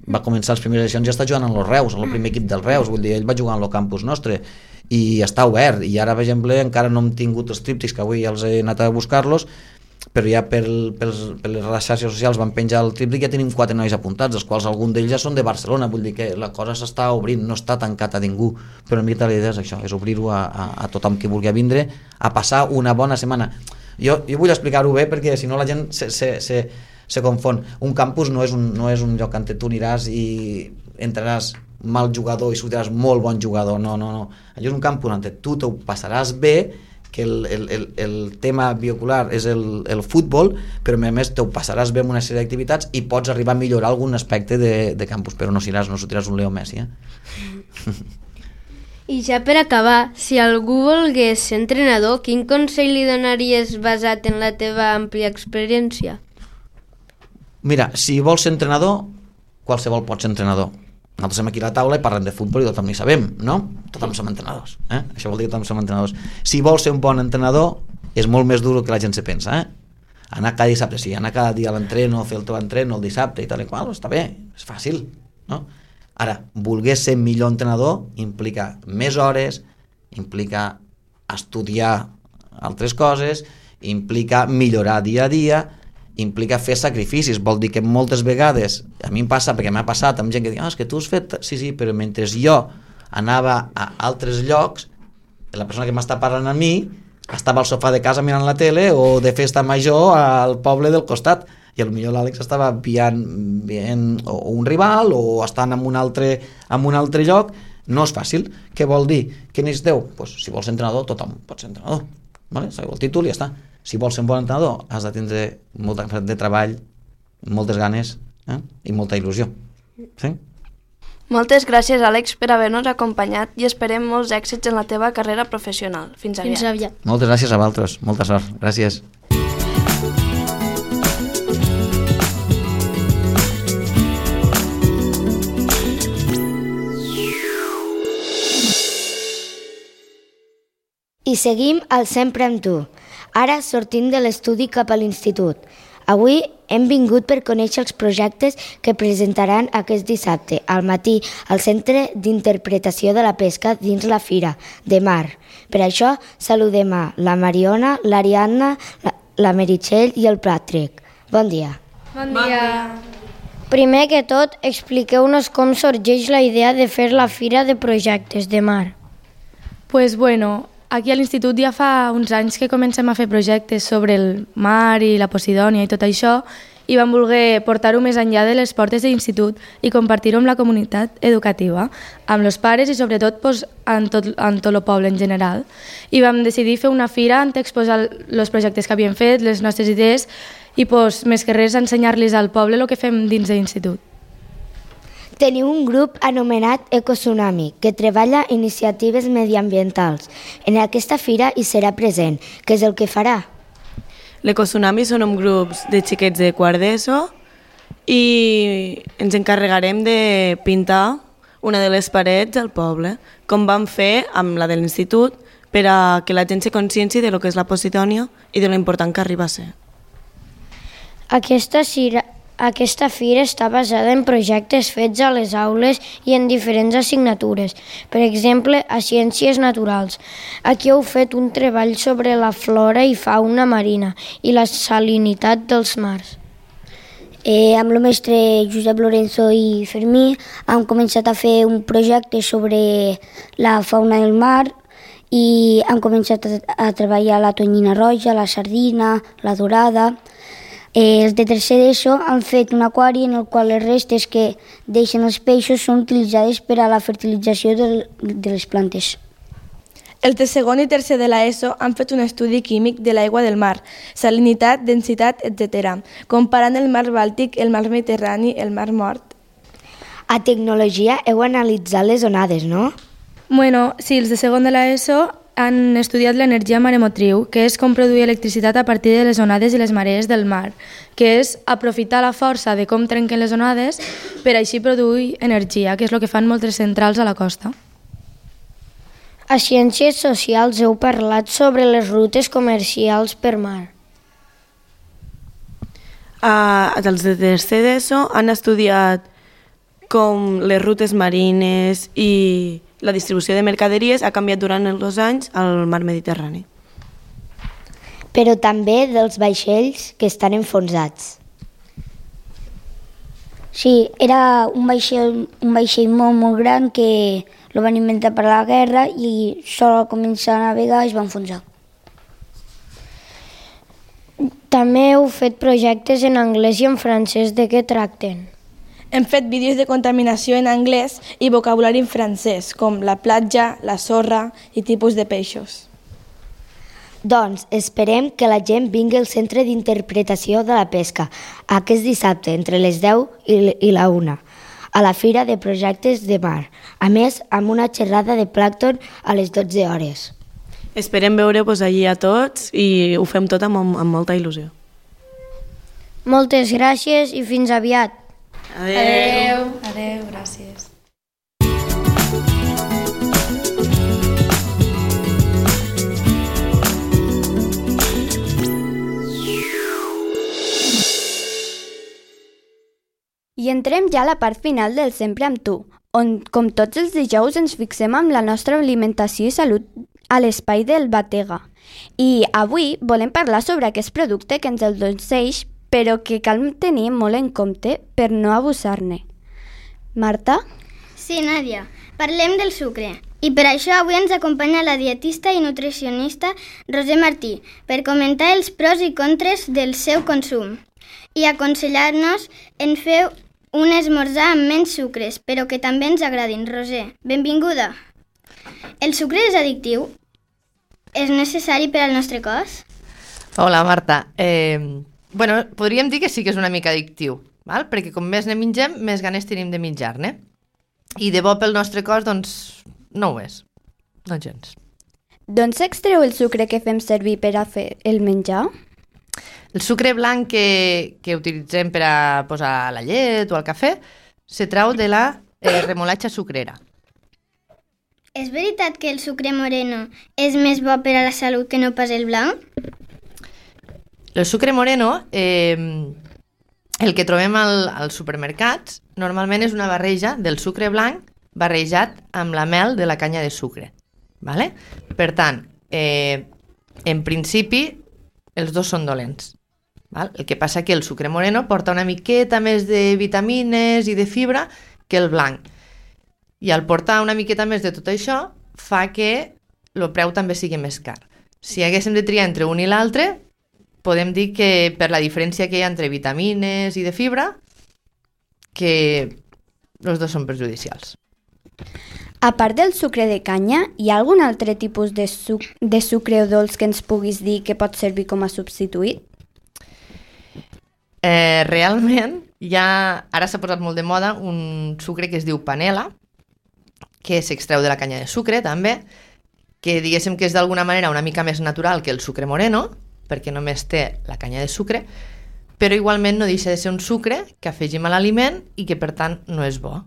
va començar les primeres edicions i ja està jugant en los Reus, en el primer equip dels Reus, vull dir, ell va jugar en el campus nostre i està obert, i ara per exemple encara no hem tingut els tríptics, que avui ja els he anat a buscar-los, però ja per les xarxes socials van penjar el tríptic, ja tenim 4 nois apuntats, els quals algun d'ells ja són de Barcelona, vull dir que la cosa s'està obrint, no està tancat a ningú, però una mica la idea és això, és obrir-ho a tothom que vulgui vindre a passar una bona setmana. Jo vull explicar-ho bé perquè si no la gent se confon. Un campus no és un lloc on tu aniràs i entraràs mal jugador i sortiràs molt bon jugador, no. Allò és un campus on tu t'ho passaràs bé, que el tema biocular és el futbol, però a més t'ho passaràs bé amb una sèrie d'activitats i pots arribar a millorar algun aspecte de campus, però no sortiràs un Leo Messi. I ja per acabar, si algú volgués ser entrenador, quin consell li donaries basat en la teva àmplia experiència? Mira, si vols ser entrenador, qualsevol pot ser entrenador. Nosaltres som aquí a la taula i parlem de futbol i tothom n'hi sabem, no? Tothom som entrenadors, Això vol dir que tothom som entrenadors. Si vols ser un bon entrenador, és molt més dur que la gent se pensa, Anar cada dissabte, sí, anar cada dia a l'entreno, fer el teu entreno el dissabte i tal i qual, està bé, és fàcil, no? Ara, voler ser millor entrenador implica més hores, implica estudiar altres coses, implica millorar dia a dia, implica fer sacrificis. Vol dir que moltes vegades, a mi em passa, perquè m'ha passat amb gent que diu, és que tu has fet... Sí, però mentre jo anava a altres llocs, la persona que m'està parlant a mi estava al sofà de casa mirant la tele o de festa major al poble del costat, i potser l'Àlex estava veient un rival o estant en un altre lloc. No és fàcil. Què vol dir? Què necessiteu? Pues, si vols ser entrenador, tothom pot ser entrenador, vale? Sabeu el títol i ja està. Si vols ser un bon entrenador, has de tindre molta de treball, moltes ganes i molta il·lusió. Sí? Moltes gràcies, Àlex, per haver-nos acompanyat i esperem molts èxits en la teva carrera professional. Fins aviat. Fins aviat. Moltes gràcies a vosaltres. Molta sort. Gràcies. I seguim al Sempre amb tu. Ara sortim de l'estudi cap a l'institut. Avui hem vingut per conèixer els projectes que presentaran aquest dissabte al matí al Centre d'Interpretació de la Pesca dins la Fira de Mar. Per això saludem a la Mariona, l'Ariadna, la Meritxell i el Patrick. Bon dia. Bon dia. Primer que tot, expliqueu-nos com sorgeix la idea de fer la Fira de Projectes de Mar. Pues bueno, aquí a l'institut ja fa uns anys que comencem a fer projectes sobre el mar i la Posidònia i tot això, i vam voler portar-ho més enllà de les portes de l'institut i compartir-ho amb la comunitat educativa, amb els pares i sobretot en tot el poble en general. I vam decidir fer una fira on exposar els projectes que havíem fet, les nostres idees, i més que res ensenyar-los al poble el que fem dins de l'institut. Teniu un grup anomenat Ecotsunami, que treballa iniciatives mediambientals. En aquesta fira hi serà present. Què és el que farà? L'Ecotsunami són grups de xiquets de quart d'ESO i ens encarregarem de pintar una de les parets del poble, com vam fer amb la de l'institut, per a que la gent se conscienci de lo que és la Posidònia i de lo important que arriba a ser. Aquesta fira està basada en projectes fets a les aules i en diferents assignatures, per exemple, a Ciències Naturals. Aquí heu fet un treball sobre la flora i fauna marina i la salinitat dels mars. Amb el mestre Josep Lorenzo i Fermí hem començat a fer un projecte sobre la fauna del mar i hem començat a treballar la tonyina roja, la sardina, la dorada. Els de tercer d'ESO han fet un aquari en el qual les restes que deixen els peixos són utilitzades per a la fertilització de les plantes. Els de segon i tercer de l'ESO han fet un estudi químic de l'aigua del mar, salinitat, densitat, etc., comparant el mar Bàltic, el mar Mediterrani, el mar Mort. A tecnologia heu analitzat les onades, no? Bueno, sí, els de segon de l'ESO han estudiat l'energia maremotriu, que és com produir electricitat a partir de les onades i les marees del mar, que és aprofitar la força de com trenquen les onades per així produir energia, que és el que fan moltes centrals a la costa. A Ciències Socials heu parlat sobre les rutes comercials per mar. Els de tercer d'ESO han estudiat com les rutes marines i la distribució de mercaderies ha canviat durant els 2 anys al mar Mediterrani. Però també dels vaixells que estan enfonsats. Sí, era un vaixell molt gran que el van inventar per la guerra i sol començar a navegar i es va enfonsar. També heu fet projectes en anglès i en francès. De què tracten? Hem fet vídeos de contaminació en anglès i vocabulari en francès, com la platja, la sorra i tipus de peixos. Doncs esperem que la gent vingui al Centre d'Interpretació de la Pesca aquest dissabte entre les 10 i la 1 a la Fira de Projectes de Mar. A més, amb una xerrada de plàncton a les 12 hores. Esperem veure-vos allí a tots i ho fem tot amb molta il·lusió. Moltes gràcies i fins aviat. Adéu. Adéu, gràcies. I entrem ja a la part final del Sempre amb tu, on, com tots els dijous, ens fixem amb la nostra alimentació i salut a l'espai del Batega. I avui volem parlar sobre aquest producte que ens el endolceix, però que cal tenir molt en compte per no abusar-ne. Marta? Sí, Nàdia. Parlem del sucre. I per això avui ens acompanya la dietista i nutricionista Roser Martí per comentar els pros i contres del seu consum i aconsellar-nos en fer un esmorzar amb menys sucres, però que també ens agradin. Roser, benvinguda. El sucre és addictiu? És necessari per al nostre cos? Hola, Marta. Podríem dir que sí que és una mica addictiu, val? Perquè com més ne mengem, més ganes tenim de menjar-ne. I de bo pel nostre cos, doncs, no ho és. No gens. D'on s'extreu el sucre que fem servir per a fer el menjar? El sucre blanc que utilitzem per a posar a la llet o al cafè se trau de la remolatxa sucrera. És veritat que el sucre moreno és més bo per a la salut que no pas el blanc? El sucre moreno, el que trobem als supermercats, normalment és una barreja del sucre blanc barrejat amb la mel de la canya de sucre. Vale? Per tant, en principi, els dos són dolents. Val? El que passa que el sucre moreno porta una miqueta més de vitamines i de fibra que el blanc. I al portar una miqueta més de tot això fa que el preu també sigui més car. Si haguéssim de triar entre un i l'altre, podem dir que per la diferència que hi ha entre vitamines i de fibra, que els dos són perjudicials. A part del sucre de canya, hi ha algun altre tipus de sucre o dolç que ens puguis dir que pot servir com a substituït? Realment, ara s'ha posat molt de moda un sucre que es diu panela, que s'extreu de la canya de sucre també, que diguéssim que és d'alguna manera una mica més natural que el sucre moreno, perquè només té la canya de sucre, però igualment no deixa de ser un sucre que afegim a l'aliment i que per tant no és bo.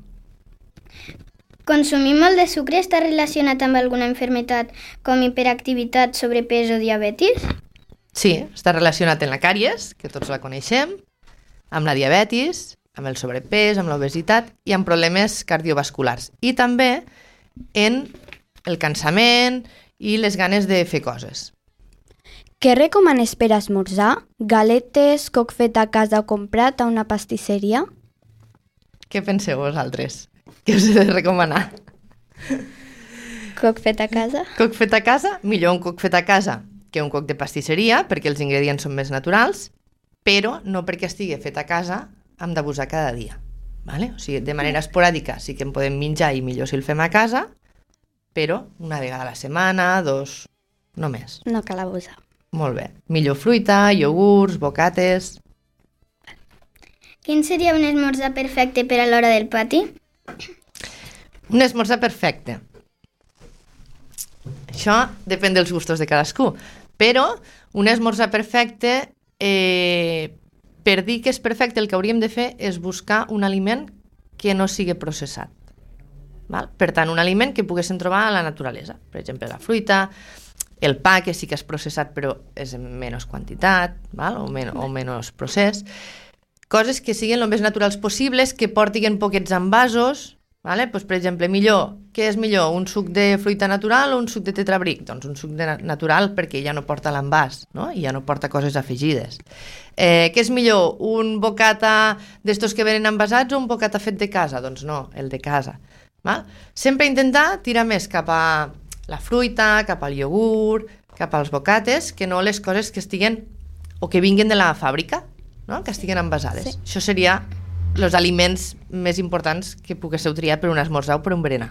Consumir molt de sucre està relacionat amb alguna malaltia com hiperactivitat, sobrepès o diabetis? Sí, està relacionat amb la càries, que tots la coneixem, amb la diabetis, amb el sobrepès, amb l'obesitat i amb problemes cardiovasculars. I també en el cansament i les ganes de fer coses. Què recomanes per esmorzar? Galetes, coc fet a casa o comprat a una pastisseria? Què penseu vosaltres? Què us he de recomanar? Coc fet a casa? Coc fet a casa? Millor un coc fet a casa que un coc de pastisseria, perquè els ingredients són més naturals, però no perquè estigui fet a casa hem d'abusar cada dia. Vale? O sigui, de manera esporàdica sí que en podem menjar i millor si el fem a casa, però una vegada a la setmana, 2, no més. No cal abusar. Molt bé. Millor fruita, iogurts, bocates... Quin seria un esmorzar perfecte per a l'hora del pati? Un esmorzar perfecte. Això depèn dels gustos de cadascú. Però un esmorzar perfecte, per dir que és perfecte, el que hauríem de fer és buscar un aliment que no sigui processat. Val? Per tant, un aliment que poguéssim trobar a la naturalesa. Per exemple, la fruita, el pa, que sí que és processat però és en menys quantitat, val? O menys procés. Coses que siguin el més naturals possibles, que portin poquets envasos. Vale? Pues, per exemple, què és millor? Un suc de fruita natural o un suc de tetrabric? Doncs un suc natural perquè ja no porta l'envàs, no? I ja no porta coses afegides. Què és millor? Un bocata d'estos que venen envasats o un bocata fet de casa? Doncs no, el de casa. Val? Sempre intentar tirar més cap a la fruita, cap al iogurt, cap als bocates, que no les coses que estiguen o que vinguin de la fàbrica, no? Que estiguen envasades. Sí. Això seria els aliments més importants que poguéssiu triar per un esmorzar o per un berenar.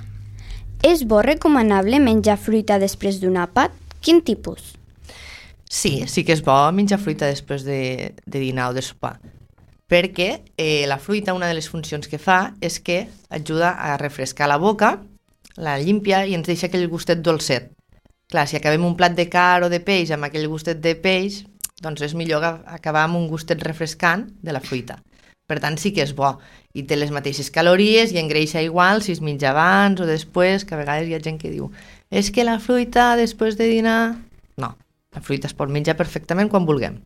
És bo recomanable menjar fruita després d'un àpat? Quin tipus? Sí que és bo menjar fruita després de dinar o de sopar, perquè la fruita, una de les funcions que fa és que ajuda a refrescar la boca, la limpia i ens deixa aquell gustet dolcet. Clar, si acabem un plat de carn o de peix amb aquell gustet de peix, doncs és millor acabar amb un gustet refrescant de la fruita. Per tant, sí que és bo. I té les mateixes calories i engreixa igual si es menja abans o després, que a vegades hi ha gent que diu és que la fruita després de dinar... No, la fruita es pot menjar perfectament quan vulguem.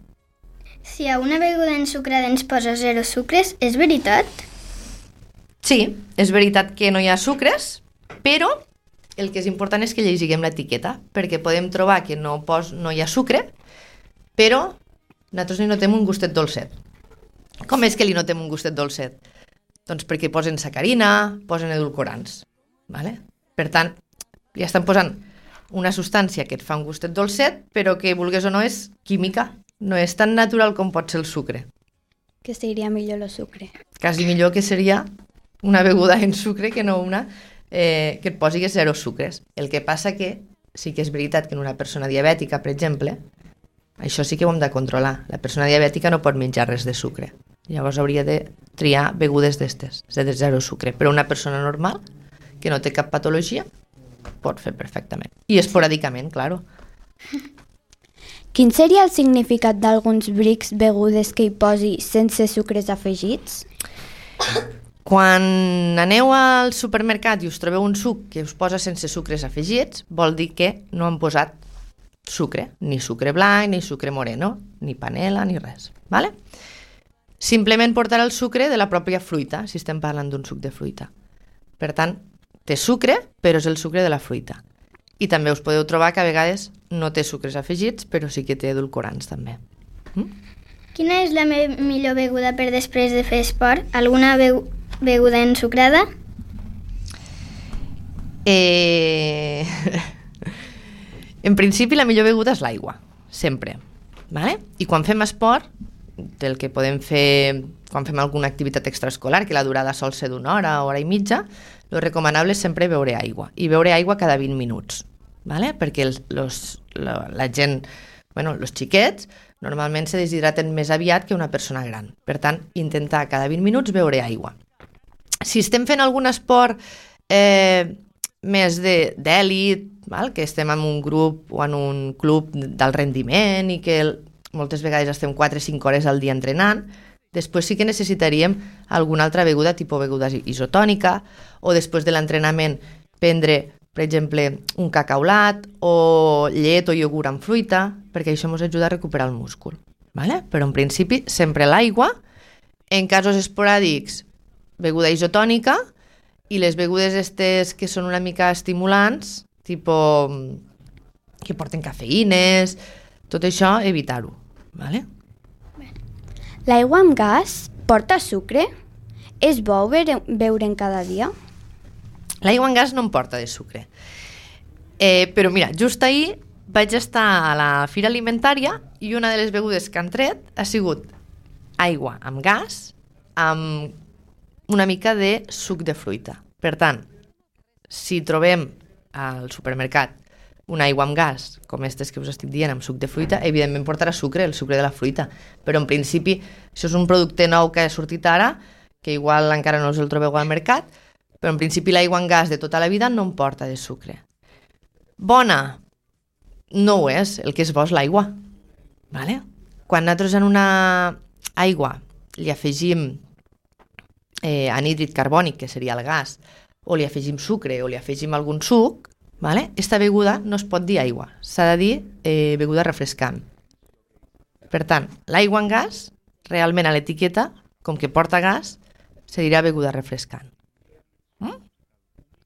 Si a una beguda ensucrada ens posa 0 sucres, és veritat? Sí, és veritat que no hi ha sucres, però el que és important és que llegiguem l'etiqueta, perquè podem trobar que no hi ha sucre, però nosaltres li notem un gustet dolcet. Com és que li notem un gustet dolcet? Doncs perquè posen sacarina, posen edulcorants. Vale? Per tant, ja estan posant una substància que et fa un gustet dolcet, però que, vulgues o no, és química. No és tan natural com pot ser el sucre. Que seria millor el sucre. Quasi millor que seria una beguda en sucre que no una que et posi zero sucres. El que passa que sí que és veritat que en una persona diabètica, per exemple, això sí que ho hem de controlar. La persona diabètica no pot menjar res de sucre. Llavors hauria de triar begudes d'estes, de zero sucre. Però una persona normal, que no té cap patologia, pot fer perfectament. I esporàdicament, claro. Quin seria el significat d'alguns brics begudes que hi posi sense sucres afegits? Quan aneu al supermercat i us trobeu un suc que us posa sense sucres afegits, vol dir que no han posat sucre, ni sucre blanc, ni sucre moreno, ni panela, ni res. Vale? Simplement portarà el sucre de la pròpia fruita, si estem parlant d'un suc de fruita. Per tant, té sucre, però és el sucre de la fruita. I també us podeu trobar que a vegades no té sucres afegits, però sí que té edulcorants també. Quina és la millor beguda per després de fer esport? Alguna beguda ensucrada? En principi la millor beguda és l'aigua, sempre. Vale? I quan fem esport, el que podem fer quan fem alguna activitat extraescolar, que la durada sol ser d'una hora, hora i mitja, lo recomanable és sempre beure aigua, i beure aigua cada 20 minuts, ¿vale? Perquè la gent, els xiquets, normalment se deshidraten més aviat que una persona gran. Per tant, intentar cada 20 minuts beure aigua. Si estem fent algun esport més d'èlit, que estem en un grup o en un club d'alt rendiment i que moltes vegades estem 4 o 5 hores al dia entrenant, després sí que necessitaríem alguna altra beguda, tipus beguda isotònica, o després de l'entrenament prendre, per exemple, un cacaulat o llet o iogurt amb fruita, perquè això ens ajuda a recuperar el múscul. Vale? Però en principi sempre l'aigua, en casos esporàdics beguda isotònica, i les begudes estes que són una mica estimulants, tipus que porten cafeïnes, tot això evitar-ho. Vale? L'aigua amb gas porta sucre? És bo beure'n cada dia? L'aigua amb gas no em porta de sucre. Però mira, just ahir vaig estar a la fira alimentària i una de les begudes que han tret ha sigut aigua amb gas amb una mica de suc de fruita. Per tant, si trobem al supermercat una aigua amb gas, com aquestes que us estic dient, amb suc de fruita, evidentment portarà sucre, el sucre de la fruita. Però en principi, això és un producte nou que ha sortit ara, que igual encara no us el trobeu al mercat, però en principi l'aigua amb gas de tota la vida no em porta de sucre. Bona? No ho és, el que és bo és l'aigua. Vale? Quan nosaltres en una aigua li afegim anhídrid carbònic, que seria el gas, o li afegim sucre o li afegim algun suc, vale? Esta beguda no es pot dir aigua, s'ha de dir beguda refrescant. Per tant, l'aigua amb gas, realment a l'etiqueta, com que porta gas, se dirà beguda refrescant.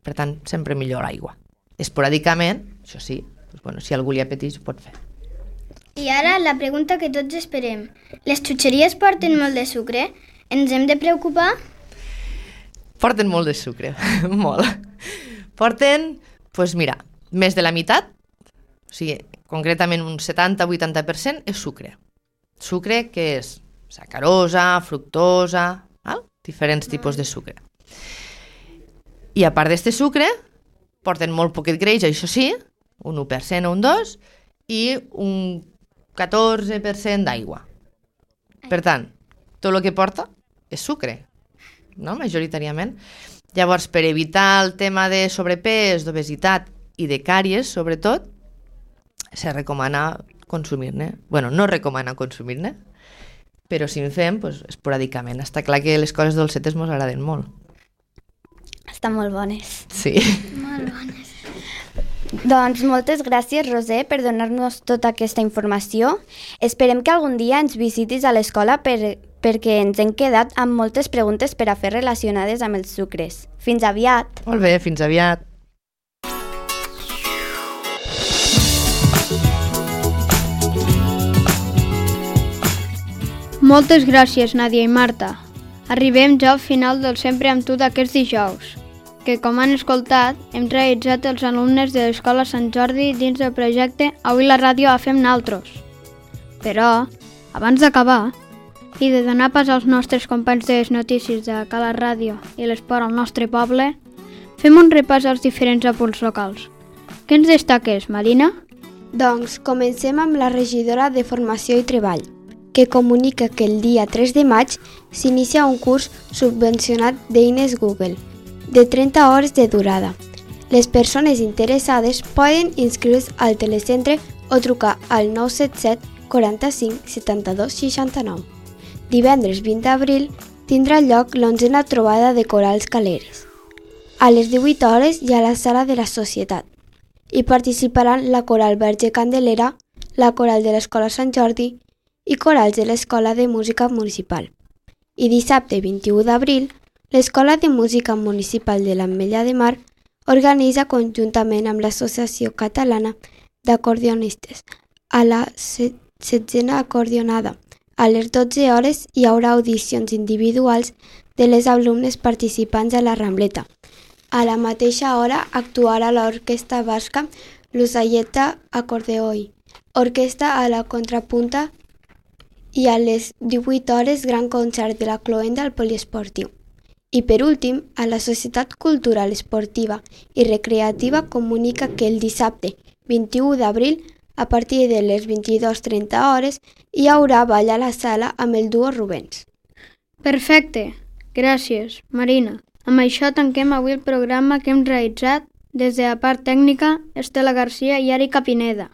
Per tant, sempre millor l'aigua. Esporàdicament, això sí, si algú li apeteix ho pot fer. I ara la pregunta que tots esperem. Les xutxeries porten molt de sucre? Ens hem de preocupar? Porten molt de sucre, molt. Porten, mira, més de la meitat, o sigui, concretament un 70-80% és sucre. Sucre que és sacarosa, fructosa, diferents tipus de sucre. I a part d'este sucre, porten molt poquet greix, això sí, un 1% o un 2%, i un 14% d'aigua. Per tant, tot el que porta és sucre, no? Majoritàriament. Llavors, per evitar el tema de sobrepès, d'obesitat i de càries, sobretot, se recomana consumir-ne. No recomana consumir-ne, però si en fem, esporàdicament. Està clar que les coses dolcetes ens agraden molt. Estan molt bones. Sí. Molt bones. Doncs moltes gràcies, Roser, per donar-nos tota aquesta informació. Esperem que algun dia ens visitis a l'escola perquè ens hem quedat amb moltes preguntes per a fer relacionades amb els sucres. Fins aviat! Molt bé, fins aviat! Moltes gràcies, Nàdia i Marta. Arribem ja al final del Sempre amb tu d'aquests dijous. que, com han escoltat, hem realitzat els alumnes de l'Escola Sant Jordi dins del projecte Avui la ràdio la fem naltros. Però, abans d'acabar, i de donar pas als nostres companys de les notícies de Cala Ràdio i l'esport al nostre poble, fem un repàs als diferents apunts locals. Què ens destaques, Marina? Doncs comencem amb la regidora de Formació i Treball, que comunica que el dia 3 de maig s'inicia un curs subvencionat d'eines Google, de 30 hores de durada. Les persones interessades poden inscriure's al telecentre o trucar al 977 45 72 69. Divendres 20 d'abril tindrà lloc l'11a trobada de corals caleres. A les 18 hores hi ha la sala de la Societat. Hi participaran la Coral Verge Candelera, la Coral de l'Escola Sant Jordi i corals de l'Escola de Música Municipal. I dissabte 21 d'abril, l'Escola de Música Municipal de l'Ametlla de Mar organitza conjuntament amb l'Associació Catalana d'Acordionistes a la 16a acordionada. A les 12 hores hi haurà audicions individuals de les alumnes participants a la Rambleta. A la mateixa hora actuarà l'Orquestra Basca Lusalleta Acordeoi, orquestra a la contrapunta, i a les 18 hores gran concert de la Cloenda al Poliesportiu. I per últim, a la Societat Cultural Esportiva i Recreativa comunica que el dissabte 21 d'abril, a partir de les 22:30 hores, hi haurà ball a la sala amb el duo Rubens. Perfecte. Gràcies, Marina. Amb això tanquem avui el programa que hem realitzat des de la part tècnica Estela Garcia i Erika Pineda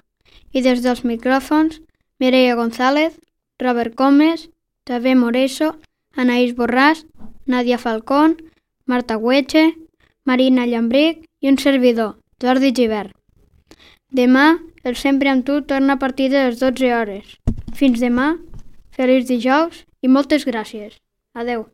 i des dels micròfons Mireia González, Robert Comes, Xavier Moreso, Anaïs Borràs, Nadia Falcón, Marta Hueche, Marina Llambric i un servidor, Jordi Givert. Demà, el Sempre amb tu torna a partir de les 12 hores. Fins demà, feliç dijous i moltes gràcies. Adeu.